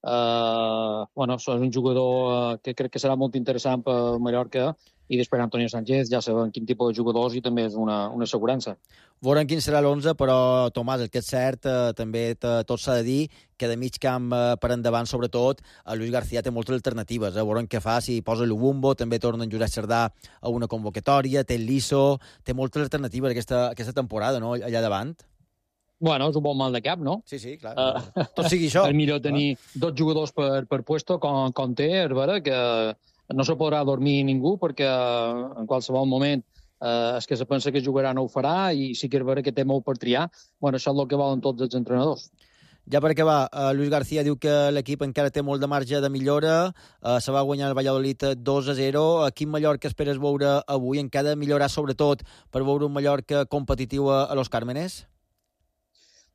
Uh, bueno, és un jugador uh, que crec que serà molt interessant per Mallorca, i després Antonio Sánchez ja sabem quin tipus de jugadors i també és una, una assegurança. Veurem quin serà l'onze, però, Tomàs, el que és cert, eh, també tot s'ha de dir que de mig camp eh, per endavant, sobretot, el Luis García té moltes alternatives. Eh? Veurem què fa, si posa l'Ubumbo, també torna en Josep Cerdà a una convocatòria, té el Liso, té moltes alternatives aquesta, aquesta temporada, no?, allà davant. Bueno, és un bon mal de cap, no? Sí, sí, clar. Uh, Tot sigui això. És millor tenir ah. dos jugadors per, per puesto com, com té, és vera, que no se podrà dormir ningú perquè en qualsevol moment eh, és que se pensa que jugarà no ho farà i sí que és vera que té molt per triar. Bueno, això és el que volen tots els entrenadors. Ja per acabar, uh, Luis García diu que l'equip encara té molt de marge de millora, uh, se va guanyar el Valladolid dos a zero. A quin Mallorca esperes veure avui? Encara millorar sobretot per veure un Mallorca competitiu a, a Los Cármenes?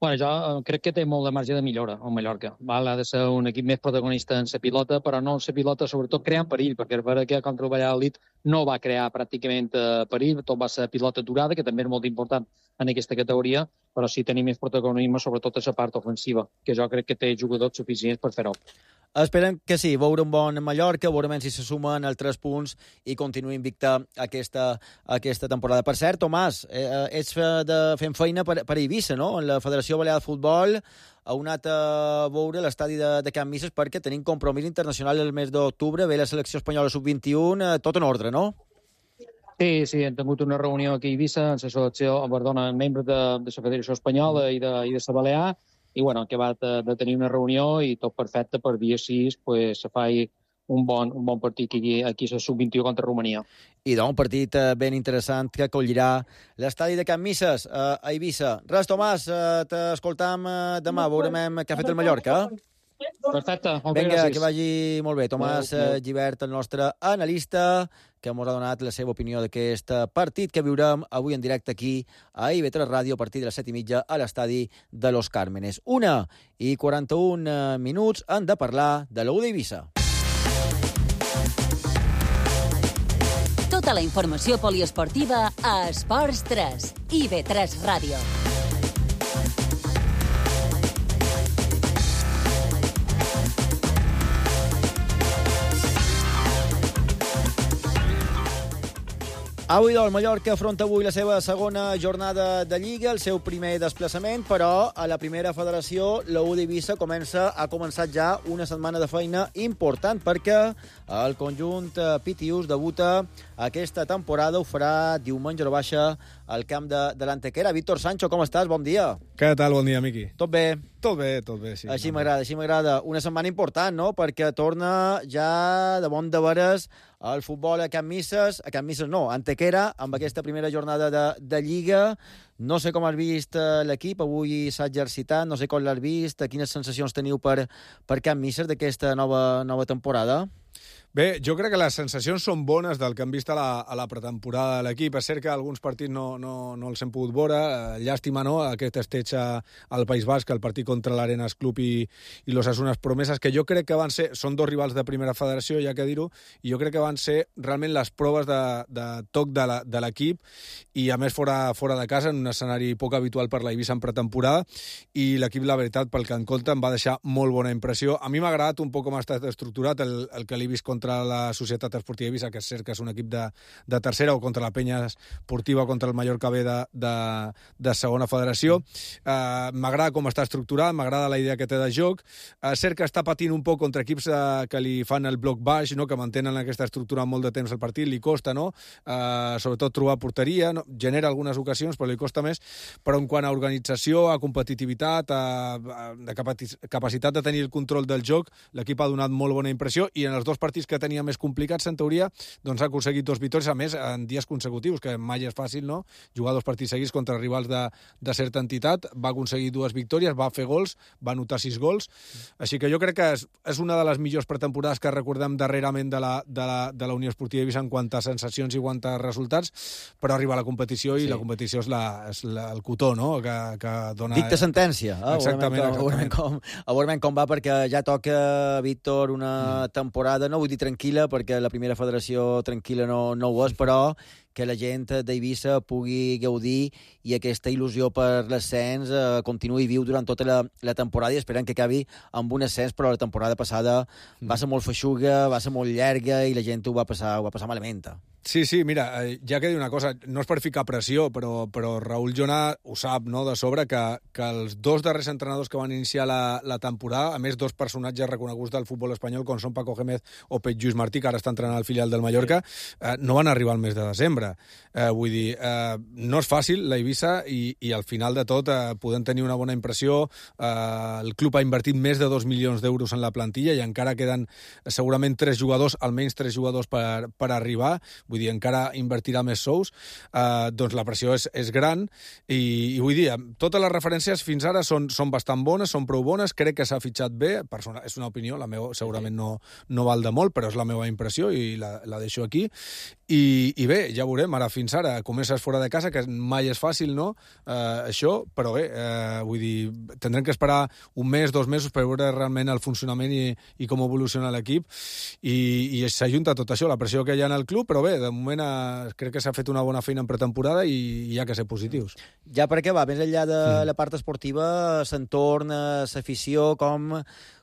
Bueno, jo crec que té molt de marge de millora el Mallorca. Val? Ha de ser un equip més protagonista en la pilota, però no en la pilota, sobretot creant perill, perquè és vera que contra el Valladolid no va crear pràcticament perill, tot va ser pilota durada, que també és molt important en aquesta categoria, però sí tenir més protagonisme, sobretot a la part ofensiva, que jo crec que té jugadors suficients per fer-ho. Esperem que sí, veure un bon Mallorca, veurem si se sumen els tres punts i continuï invicta aquesta, aquesta temporada. Per cert, Tomàs, eh, ets de, fent feina per, per Eivissa, no?, en la Federació Balear de Futbol. Heu anat a veure l'estadi de, de Can Misses perquè tenim compromís internacional el mes d'octubre, ve la selecció espanyola sub vint-i-u, eh, tot en ordre, no? Sí, sí, hem tingut una reunió aquí a Eivissa, en la selecció, perdona, membres de, de la Federació Espanyola i de, i de la Balear, i bueno, que va de, de tenir una reunió i tot perfecte per dia sis pues, se fa un bon, un bon partit aquí, aquí a sub vint-i-u contra Romania. I doncs un partit eh, ben interessant que acollirà l'estadi de Can Misses eh, a Eivissa. Res, Tomàs, eh, t'escoltam eh, demà, veurem què ha fet el Mallorca. Perfecte, moltes Vinga, gràcies. que vagi molt bé. Tomàs eh, Gibert, el nostre analista, que ens ha donat la seva opinió d'aquest partit que viurem avui en directe aquí a I V tres Ràdio a partir de les set i mitja a l'estadi de Los Cármenes. Una i quaranta-un minuts han de parlar de l'U d'Eivissa. Tota la informació poliesportiva a Esports tres, I V tres Ràdio. Avui, doncs, Mallorca afronta avui la seva segona jornada de Lliga, el seu primer desplaçament, però a la primera federació, la U d'Eivissa comença, ha començat ja una setmana de feina important perquè el conjunt Pitius debuta aquesta temporada, ho farà diumenge a baixa al camp de, de l'Antequera. Víctor Sancho, com estàs? Bon dia. Què tal? Bon dia, Miqui. Tot bé? Tot bé, tot bé, sí. Així m'agrada, així m'agrada. Una setmana important, no?, perquè torna ja de bon de veres el futbol a Can Misses, a Can Misses no, a Antequera, amb aquesta primera jornada de, de Lliga. No sé com has vist l'equip, avui s'ha exercitat, no sé com l'has vist, quines sensacions teniu per, per Can Misses d'aquesta nova, nova temporada? Bé, jo crec que les sensacions són bones del que hem vist a la, a la pretemporada de l'equip. És cert que alguns partits no, no, no els hem pogut veure. Llàstima, no?, aquest esteig al País Basc, el partit contra l'Arenas Club i, i los Asunas Promeses, que jo crec que van ser... Són dos rivals de primera federació, ja que dir-ho, i jo crec que van ser realment les proves de, de toc de l'equip, i a més fora, fora de casa, en un escenari poc habitual per la Eivissa en pretemporada, i l'equip, la veritat, pel que en compte, em va deixar molt bona impressió. A mi m'ha agradat un poc com ha estat estructurat el, el que l'he vist contra contra la Societat Esportiva Eivissa, que és cert que és un equip de, de tercera, o contra la Penya Esportiva, contra el Mallorca B de, de, de segona federació. Uh, m'agrada com està estructurat, m'agrada la idea que té de joc. Uh, cert que està patint un poc contra equips uh, que li fan el bloc baix, no?, que mantenen aquesta estructura molt de temps al partit, li costa, no?, uh, sobretot trobar porteria, no? Genera algunes ocasions, però li costa més, però en quant a organització, a competitivitat, a, a capacitat de tenir el control del joc, l'equip ha donat molt bona impressió, i en els dos partits que tenia més complicats, en teoria, doncs ha aconseguit dos victòries, a més, en dies consecutius, que mai és fàcil, no?, jugar dos partits seguits contra rivals de, de certa entitat. Va aconseguir dues victòries, va fer gols, va anotar sis gols, així que jo crec que és, és una de les millors pretemporades que recordem darrerament de la, de la, de la Unió Esportiva Eivissa en quant a sensacions i quant a resultats, però arriba a la competició i sí. La competició és, la, és la, el cotó, no?, que, que dona... Dicta sentència. Ah, exactament, a veurem com, a veurem com va, perquè ja toca, Víctor, una mm. temporada, no vull dir tranquil·la, perquè la primera federació tranquil·la no, no ho és, però que la gent d'Eivissa pugui gaudir i aquesta il·lusió per l'ascens eh, continuï viu durant tota la, la temporada i esperem que acabi amb un ascens, però la temporada passada va ser molt feixuga, va ser molt llarga i la gent ho va passar, ho va passar malament. Sí, sí, mira, ja que dir una cosa, no és per ficar pressió, però, però Raül Jonà ho sap, no?, de sobre, que, que els dos darrers entrenadors que van iniciar la, la temporada, a més dos personatges reconeguts del futbol espanyol, com són Paco Gémez o Pep Lluís Martí, que ara està entrenant al filial del Mallorca, eh, no van arribar al mes de desembre. Eh, vull dir, eh, no és fàcil la Eivissa i, i al final de tot eh, podem tenir una bona impressió. Eh, el club ha invertit més de dos milions d'euros en la plantilla i encara queden segurament tres jugadors, almenys tres jugadors per, per arribar. Vull dir, encara invertirà més sous, eh, doncs la pressió és, és gran i, i vull dir, totes les referències fins ara són, són bastant bones, són prou bones, crec que s'ha fitxat bé, persona, és una opinió, la meva segurament no, no val de molt, però és la meva impressió i la, la deixo aquí. I, i bé, ja veurem, ara fins ara comences fora de casa, que mai és fàcil, no?, eh, això, però bé, eh, vull dir, tindrem que esperar un mes, dos mesos per veure realment el funcionament i, i com evoluciona l'equip i, i s'ajunta tot això, la pressió que hi ha en el club, però bé, de moment crec que s'ha fet una bona feina en pretemporada i hi ha que ser positius. Ja per acabar, més enllà de mm. la part esportiva, s'entorn, l'afició, com,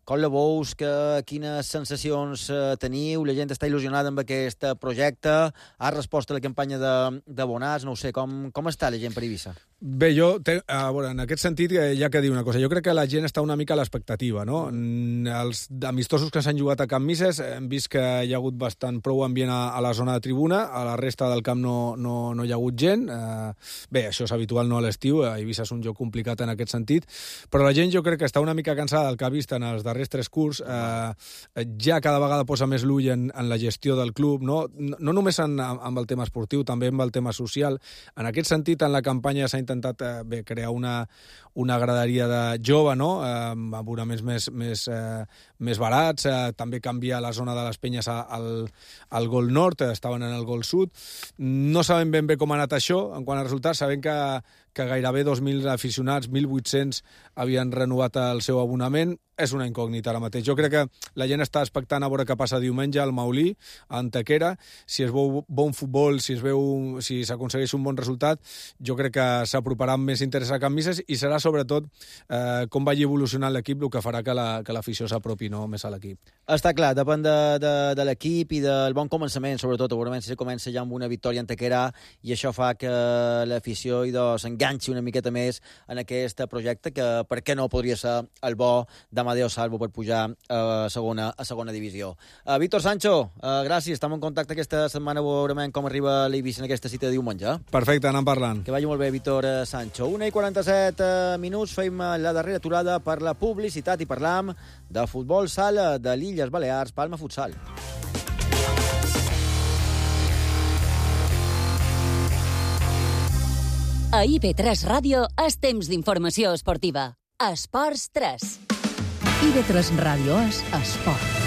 com la veus, que, quines sensacions eh, teniu? La gent està il·lusionada amb aquest projecte? Ha respost a la campanya de, de Bonàs? No ho sé, com, com està la gent per Eivissa? Bé, jo, te, a veure, en aquest sentit, hi ha que dir una cosa. Jo crec que la gent està una mica a l'expectativa, no? Els amistosos que s'han jugat a Can Misses hem vist que hi ha hagut bastant prou ambient a, a la zona de tribuna, a la resta del camp no, no, no hi ha hagut gent. Eh, bé, això és habitual, no, a l'estiu, Eivissa és un joc complicat en aquest sentit, però la gent jo crec que està una mica cansada del que ha vist en els darrers tres curts. Eh, ja cada vegada posa més l'ull en, en la gestió del club, no, no, no només en, amb el tema esportiu, també amb el tema social. En aquest sentit, en la campanya s'ha intentat eh, bé, crear una, una graderia de jove, no?, eh, amb abonaments més, més, eh, més barats, eh, també canviar la zona de les penyes al, al Gol Nord, eh, estaven en el Gol Sud. No sabem ben bé com ha anat això, en quant a resultats, sabem que, que gairebé dos mil aficionats, mil vuit-cents, havien renovat el seu abonament. És una incògnita ara mateix. Jo crec que la gent està expectant a veure què passa diumenge al Maulí, a Antequera. Si es veu bon futbol, si es veu, si s'aconsegueix un bon resultat, jo crec que s'aproparà amb més interès a Can Misses i serà sobretot eh, com vagi evolucionant l'equip el que farà que l'afició la, s'apropi, no, més a l'equip. Està clar, depèn de, de, de l'equip i del bon començament, sobretot. Segurament si comença ja amb una victòria a Antequera i això fa que l'afició s'enganxi una miqueta més en aquest projecte, que per què no podria ser el bo de Amadeo Salvo per pujar a segona, a segona divisió. Uh, Víctor Sancho, uh, gràcies. Estem en contacte aquesta setmana, veurem com arriba l'Eivissa en aquesta cita de diumenge. Perfecte, anem parlant. Que vagi molt bé, Víctor Sancho. una i quaranta-set minuts, fem la darrera aturada per la publicitat i parlam de futbol sala de l'Illes Balears, Palma Futsal. A I B tres Ràdio és temps d'informació esportiva. Esports tres. I B tres Ràdio és esport.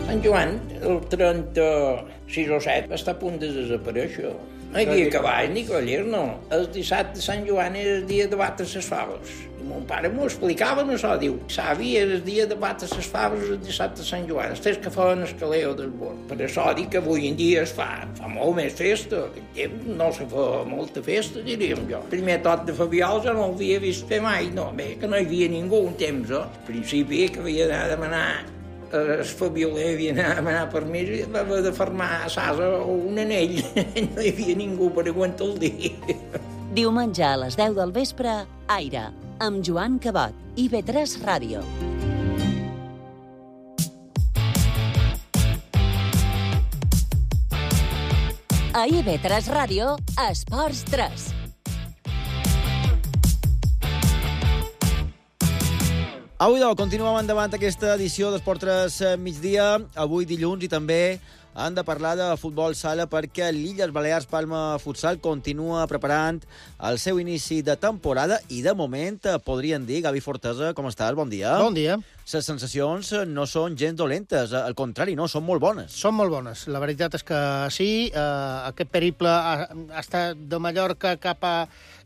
Sant Joan, el trenta-sis o set, està a punt de desaparèixer. No hi havia cavalls ni cavallers, no. El dissabte de Sant Joan era el dia de batre les faves. I mon pare m'ho explicava, no això, diu, savi, era el dia de batre les faves el dissabte de Sant Joan, els tres que feien el caleo del bord. Per això dic que avui en dia es fa, fa molt més festa. Aquell temps no se fa molta festa, diríem jo. El primer tot de Fabiol ja no l'havia vist fer mai, no, bé, que no hi havia ningú un temps, eh? Al principi que havia d'anar a demanar el Fabioler havia d'anar a demanar permís i va haver de fermar a Sasa un anell. No hi havia ningú per aguantar el dia. Diumenge a les deu del vespre, Aire, amb Joan Cabot, I B tres Ràdio. A I B tres Ràdio, Esports tres. Avui, doncs, continuem endavant aquesta edició d'Esport tres migdia, avui dilluns, i també han de parlar de futbol sala perquè l'Illes Balears Palma Futsal continua preparant el seu inici de temporada i, de moment, podrien dir, Gavi Fortesa, com estàs? Bon dia. Bon dia. Les sensacions no són gens dolentes, al contrari, no, són molt bones. Són molt bones. La veritat és que sí, eh, aquest periple ha, ha estat de Mallorca cap a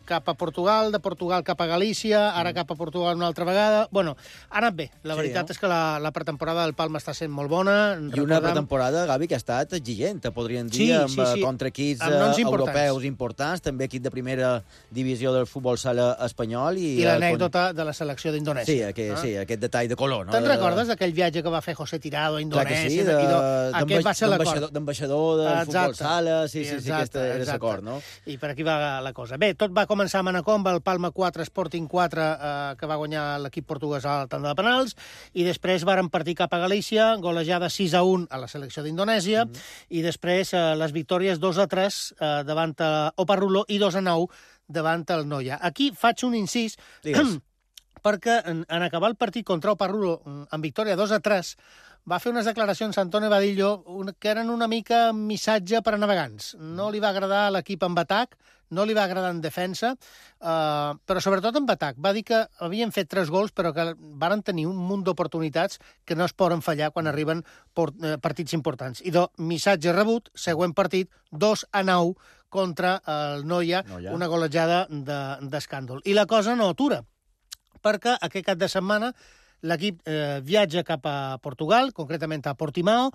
cap a Portugal, de Portugal cap a Galícia, ara cap a Portugal una altra vegada. Bueno, ha anat bé. La Sí, veritat no? és que la, la pretemporada del Palma està sent molt bona. I una pretemporada, Gavi, que ha estat exigent, podríem dir, Sí, amb, sí, sí. contra equips Amb noms eh, importants. europeus importants, també equip de primera divisió del futbol sala espanyol. I, I el l'anècdota de la selecció d'Indonèsia. Sí, aquest, Ah. sí, aquest detall de color. No? Te'n De- recordes d'aquell viatge que va fer José Tirado a Clar que Indonèsia? sí, I de- do- aquest va ser l'acord. d'ambaixador d'ambaixador del Exacte. futbol sala, sí, sí, sí, Exacte, aquest era exacte. l'acord, no? I per aquí va la cosa. Bé, tot va començar a Manacor amb el Palma quatre, Sporting quatre, eh, que va guanyar l'equip portuguès a la tanda de penals, i després varen partir cap a Galícia, golejada sis a un a la selecció d'Indonèsia, mm. i després eh, les victòries dos a tres eh, davant a Oparrulo i dos a nou davant el Noia. Aquí faig un incís, perquè en, en acabar el partit contra Oparrulo amb victòria dos a tres, va fer unes declaracions a Antonio Vadillo un, que eren una mica missatge per a navegants. No li va agradar l'equip en atac, no li va agradar en defensa, eh, però sobretot en atac. Va dir que havien fet tres gols, però que varen tenir un munt d'oportunitats que no es poden fallar quan arriben port, eh, partits importants. I do, missatge rebut, següent partit, dos a nou contra el Noia, Noia. una golejada d'escàndol. De, I la cosa no atura, perquè aquest cap de setmana l'equip eh, viatja cap a Portugal, concretament a Portimao,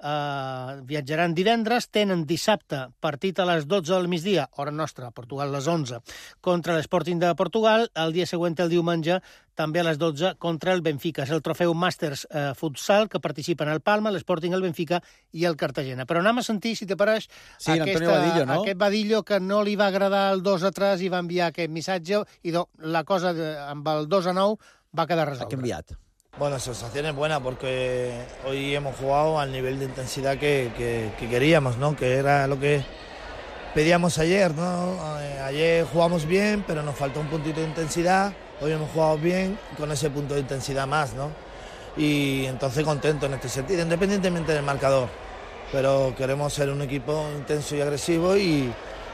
eh, viatjaran divendres, tenen dissabte partit a les dotze del migdia, hora nostra, a Portugal a les onze, contra l'Sporting de Portugal, el dia següent, el diumenge, també a les dotze, contra el Benfica. És el trofeu Masters eh, Futsal, que participen el Palma, l'Sporting, el Benfica i el Cartagena. Però anem a sentir, si te pareix, Sí, Antonio Vadillo, no? aquest Vadillo que no li va agradar el dos a tres i va enviar aquest missatge, i do, la cosa de, amb el dos a nou va quedar resolta. Bueno, sensación es buena porque hoy hemos jugado al nivel de intensidad que, que, que queríamos, ¿no? Que era lo que pedíamos ayer, ¿no? Eh, Ayer jugamos bien, pero nos faltó un puntito de intensidad. Hoy hemos jugado bien con ese punto de intensidad más, ¿no? Y entonces contento en este sentido, independientemente del marcador. Pero queremos ser un equipo intenso y agresivo y,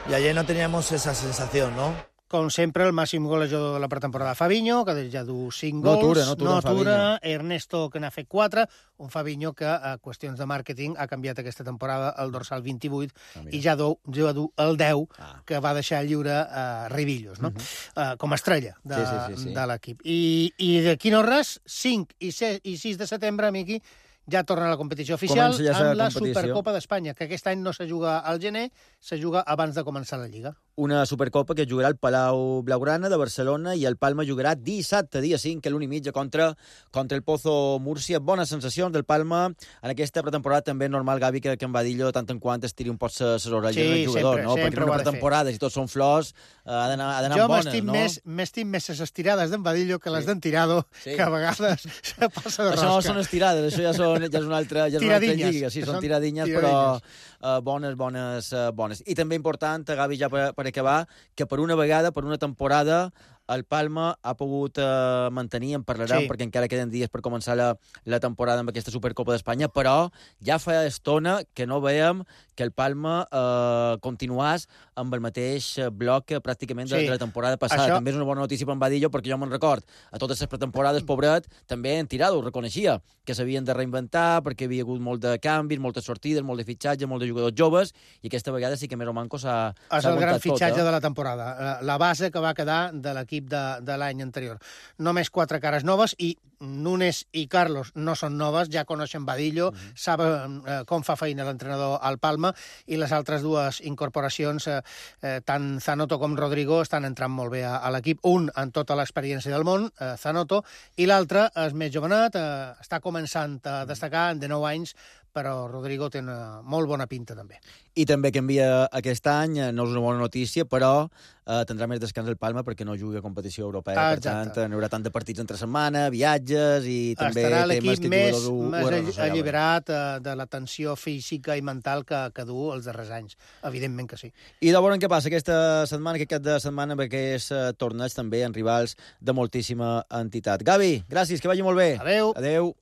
y ayer no teníamos esa sensación, ¿no? Com sempre, el màxim golejador de la pretemporada, Fabinho, que ja du cinc No gols. atura, no atura no en atura. Fabinho. Ernesto, que n'ha fet quatre. Un Fabinho que, a qüestions de màrqueting, ha canviat aquesta temporada el dorsal vint-i-vuit Ah, i ja du, ja du el deu, ah. que va deixar lliure a Ribillos, no? Uh -huh. uh, com a estrella de, Sí, sí, sí, sí. de l'equip. I, I d'aquí no res, cinc i sis de setembre, Miqui, ja torna a la competició oficial Comença ja amb la la competició. Supercopa d'Espanya, que aquest any no se juga al gener, se juga abans de començar la Lliga. Una Supercopa que jugarà el Palau Blaugrana de Barcelona i el Palma jugarà dissabte, dia cinc, a l'una i mitja, contra, contra el Pozo Múrcia. Bones sensacions del Palma en aquesta pretemporada. També és normal, Gavi, que, que en Vadillo, tant en quant es tiri un pot ses orelles Sí, del jugador, sempre, no? sempre Perquè ho en ha una de fer. pretemporada, si tots són flors, eh, ha d'anar ha d'anar Jo amb bones, m'estim no? més, m'estim més les estirades d'en Vadillo que les d'en Tirado, Sí. que a vegades se passa de Això no rosca. són estirades, això ja, són, ja és una altra, ja és una altra Tiradinyes. lliga. Sí, són Són tiradinyes, però uh, bones, bones, uh, bones. I també important, Gavi, ja per, per acabar, que per una vegada, per una temporada, el Palma ha pogut eh, mantenir, en parlarem, Sí. perquè encara queden dies per començar la, la temporada amb aquesta Supercopa d'Espanya, però ja fa estona que no veiem que el Palma eh, continuàs amb el mateix bloc que pràcticament de, Sí. de la temporada passada. Això- També és una bona notícia per en Vadillo, perquè jo me'n record, a totes les pretemporades, pobret, també en Tirado ho reconeixia, que s'havien de reinventar, perquè hi havia hagut molt de canvis, moltes sortides, molt de fitxatge, molt de jugadors joves, i aquesta vegada sí que més o manco s'ha És s'ha el gran aguantat tot, fitxatge eh? de la temporada, la- la base que va quedar de l'equip de, de l'any anterior. Només quatre cares noves i Núñez i Carlos no són noves, ja coneixen Vadillo, mm-hmm. saben eh, com fa feina l'entrenador al Palma, i les altres dues incorporacions, eh, eh, tant Zanoto com Rodrigo, estan entrant molt bé a, a l'equip. Un amb tota l'experiència del món, eh, Zanoto, i l'altre és més jovenat, eh, està començant a destacar, de nou anys, però Rodrigo té una molt bona pinta també. I també canvia aquest any, eh, no és una bona notícia, però eh, tindrà més descans el Palma perquè no juga a competició europea. Ah, per exacte. tant, no hi haurà tant de partits entre setmana, viatges i també Estarà temes l'equip que més, jugadors ho, ho més arrossegaven. alliberat eh, de la tensió física i mental que, que du els darrers anys. Evidentment que sí. I de veure què passa aquesta setmana, aquest cap de setmana, perquè és eh, torneig també en rivals de moltíssima entitat. Gavi, gràcies, que vagi molt bé. Adeu. Adeu.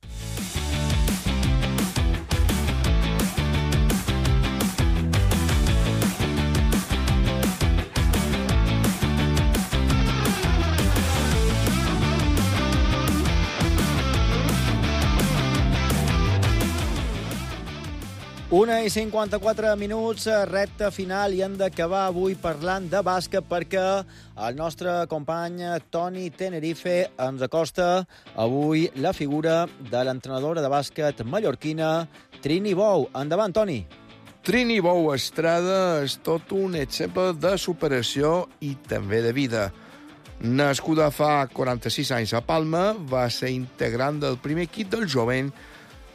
Una i cinquanta-quatre minuts, recta final, i hem d'acabar avui parlant de bàsquet perquè el nostre company Toni Tenerife ens acosta avui la figura de l'entrenadora de bàsquet mallorquina Trini Bou. Endavant, Toni. Trini Bou Estrada és tot un exemple de superació i també de vida. Nascuda fa quaranta-sis anys a Palma, va ser integrant del primer equip del jovent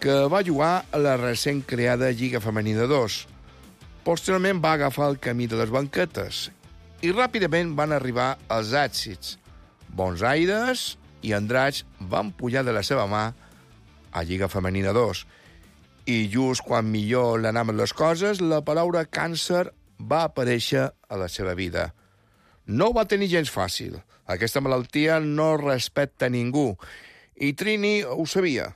que va jugar a la recent creada Lliga Femenina dos. Posteriorment va agafar el camí de les banquetes i ràpidament van arribar els èxits. Bons aires i Andratx van pujar de la seva mà a Lliga Femenina dos. I just quan millor l'anaven les coses, la paraula càncer va aparèixer a la seva vida. No ho va tenir gens fàcil. Aquesta malaltia no respecta ningú. I Trini ho sabia.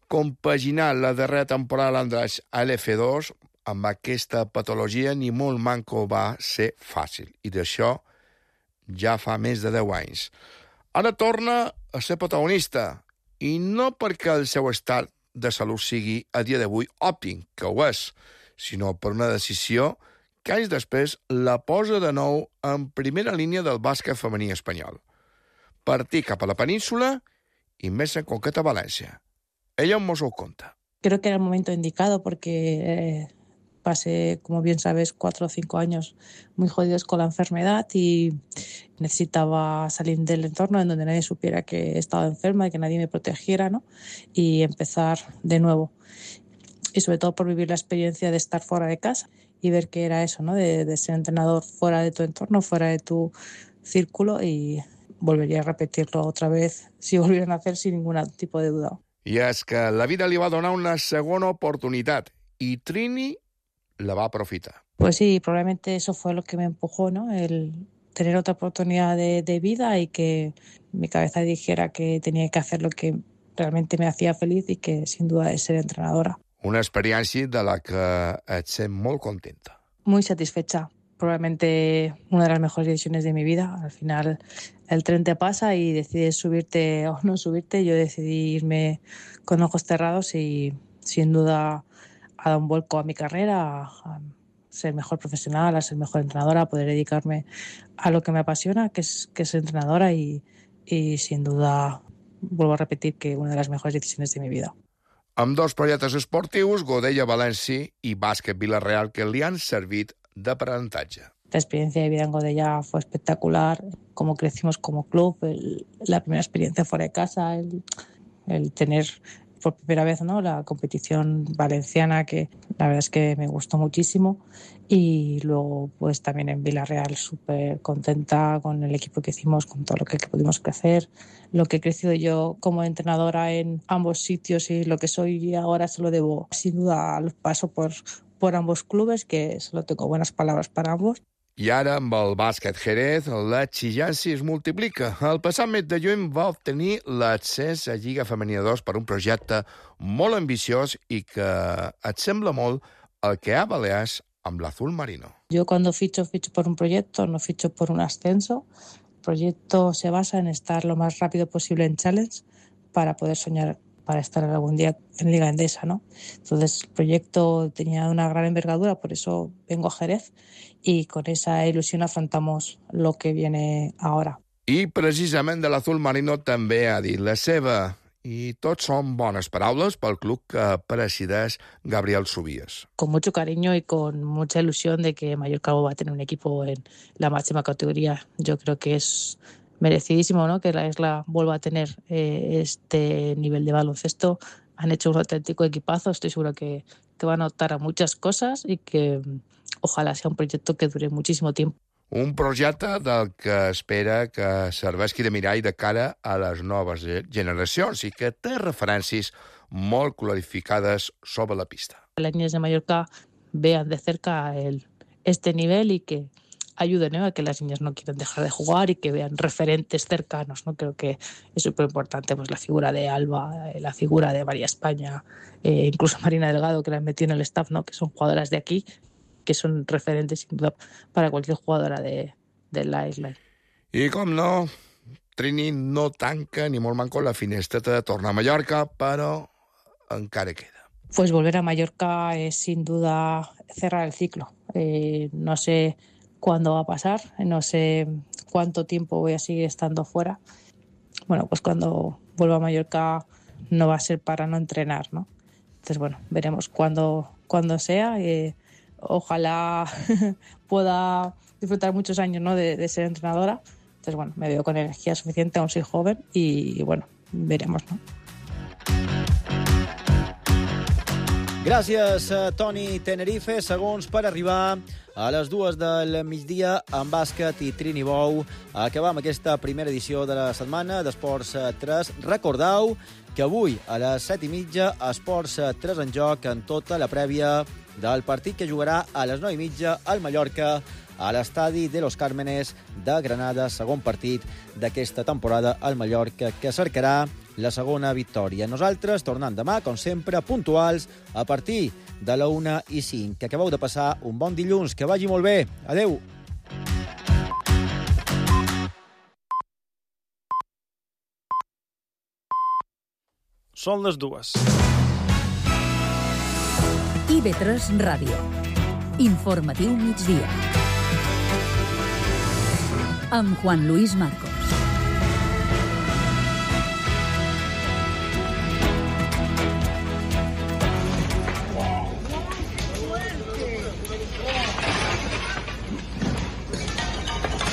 Compaginar la darrera temporada a l'Andratx a l'F dos amb aquesta patologia ni molt manco va ser fàcil. I d'això ja fa més de deu anys. Ara torna a ser protagonista. I no perquè el seu estat de salut sigui a dia d'avui òptim, que ho és, sinó per una decisió que anys després la posa de nou en primera línia del bàsquet femení espanyol. Partir cap a la península i més en concret a València. Ella nos lo cuenta. Creo que era el momento indicado porque eh, pasé, como bien sabes, cuatro o cinco años muy jodidos con la enfermedad y necesitaba salir del entorno en donde nadie supiera que estaba enferma y que nadie me protegiera, ¿no? Y empezar de nuevo. Y sobre todo por vivir la experiencia de estar fuera de casa y ver qué era eso, ¿no? De, de ser entrenador fuera de tu entorno, fuera de tu círculo, y volvería a repetirlo otra vez si volvieran a hacer sin ningún tipo de duda. I és que la vida li va donar una segona oportunitat i Trini la va aprofitar. Pues sí, probablemente eso fue lo que me empujó, ¿no? El tener otra oportunidad de, de vida y que mi cabeza dijera que tenía que hacer lo que realmente me hacía feliz y que sin duda es ser entrenadora. Una experiència de la que et sent molt contenta. Muy satisfecha. Probablemente una de las mejores decisiones de mi vida. Al final el tren te pasa y decides subirte o no subirte. Yo decidí irme con ojos cerrados y sin duda ha dado un vuelco a mi carrera, a ser mejor profesional, a ser mejor entrenadora, a poder dedicarme a lo que me apasiona, que es, que es entrenadora, y, y sin duda vuelvo a repetir que una de las mejores decisiones de mi vida. Amb dos projectes esportius, Godella València i Bàsquet Vila-real, que li han servit d'aprenentatge. La experiencia de vida en Godella fue espectacular, cómo crecimos como club, el, la primera experiencia fuera de casa, el, el tener por primera vez, ¿no?, la competición valenciana, que la verdad es que me gustó muchísimo, y luego pues también en Vila-real súper contenta con el equipo que hicimos, con todo lo que, que pudimos crecer, lo que he crecido yo como entrenadora en ambos sitios y lo que soy ahora se lo debo sin duda al paso por, por ambos clubes, que solo tengo buenas palabras para ambos. I ara, amb el bàsquet Jerez, l'exigència es multiplica. El passat mes de juny va obtenir l'accés a Lliga Femenina dos per un projecte molt ambiciós i que et sembla molt el que ha Balears amb l'Azul Marino. Yo cuando ficho, ficho por un proyecto, no ficho por un ascenso. El proyecto se basa en estar lo más rápido posible en Challenge para poder soñar para estar algún día en Liga Endesa, ¿no? Entonces el proyecto tenía una gran envergadura, por eso vengo a Jerez y con esa ilusión afrontamos lo que viene ahora. I precisament de l'Azul Marino també ha dit la seva. I tots són bones paraules pel club que presideix Gabriel Subías. Con mucho cariño y con mucha ilusión de que Mallorca va a tener un equipo en la máxima categoría. Yo creo que es merecidísimo, ¿no?, que la isla vuelva a tener eh, este nivel de baloncesto. Han hecho un auténtico equipazo, estoy segura que, que van a optar a muchas cosas y que ojalá sea un proyecto que dure muchísimo tiempo. Un projecte del que espera que serveixi de mirall de cara a les noves generacions i que té referències molt clarificades sobre la pista. Las niñas de Mallorca vean de cerca el, este nivel y que ayuden, ¿no?, a que las niñas no quieran dejar de jugar y que vean referentes cercanos, ¿no? Creo que es súper importante, pues, la figura de Alba, la figura de María España, eh, incluso Marina Delgado, que la han metido en el staff, ¿no?, que son jugadoras de aquí, que son referentes sin duda para cualquier jugadora de, de la isla. I com no, Trini no tanca ni molt manco la finestreta de tornar a Mallorca, però encara queda. pues volver a Mallorca es sin duda cerrar el ciclo. Eh, no sé cuándo va a pasar, no sé cuánto tiempo voy a seguir estando fuera. Bueno, pues cuando vuelva a Mallorca no va a ser para no entrenar, ¿no? Entonces, bueno, veremos cuándo, cuándo sea. Eh, ojalá pueda disfrutar muchos años, ¿no?, de, de ser entrenadora. Entonces, bueno, me veo con energía suficiente, aún soy joven y, y bueno, veremos, ¿no? Gràcies, Toni Tenerife. Segons per arribar a les dues del migdia en bàsquet i Trinibou. Acabam aquesta primera edició de la setmana d'Esports tres. Recordeu que avui a les set i mitja Esports tres en joc en tota la prèvia del partit que jugarà a les nou i mitja al Mallorca a l'estadi de Los Cármenes de Granada, segon partit d'aquesta temporada al Mallorca, que cercarà la segona victòria. Nosaltres tornem demà, com sempre, puntuals, a partir de la una i cinc. Que acabeu de passar un bon dilluns, que vagi molt bé. Adeu! Són les dues. I B tres Ràdio. Informatiu migdia. Amb Juan Luis Marco.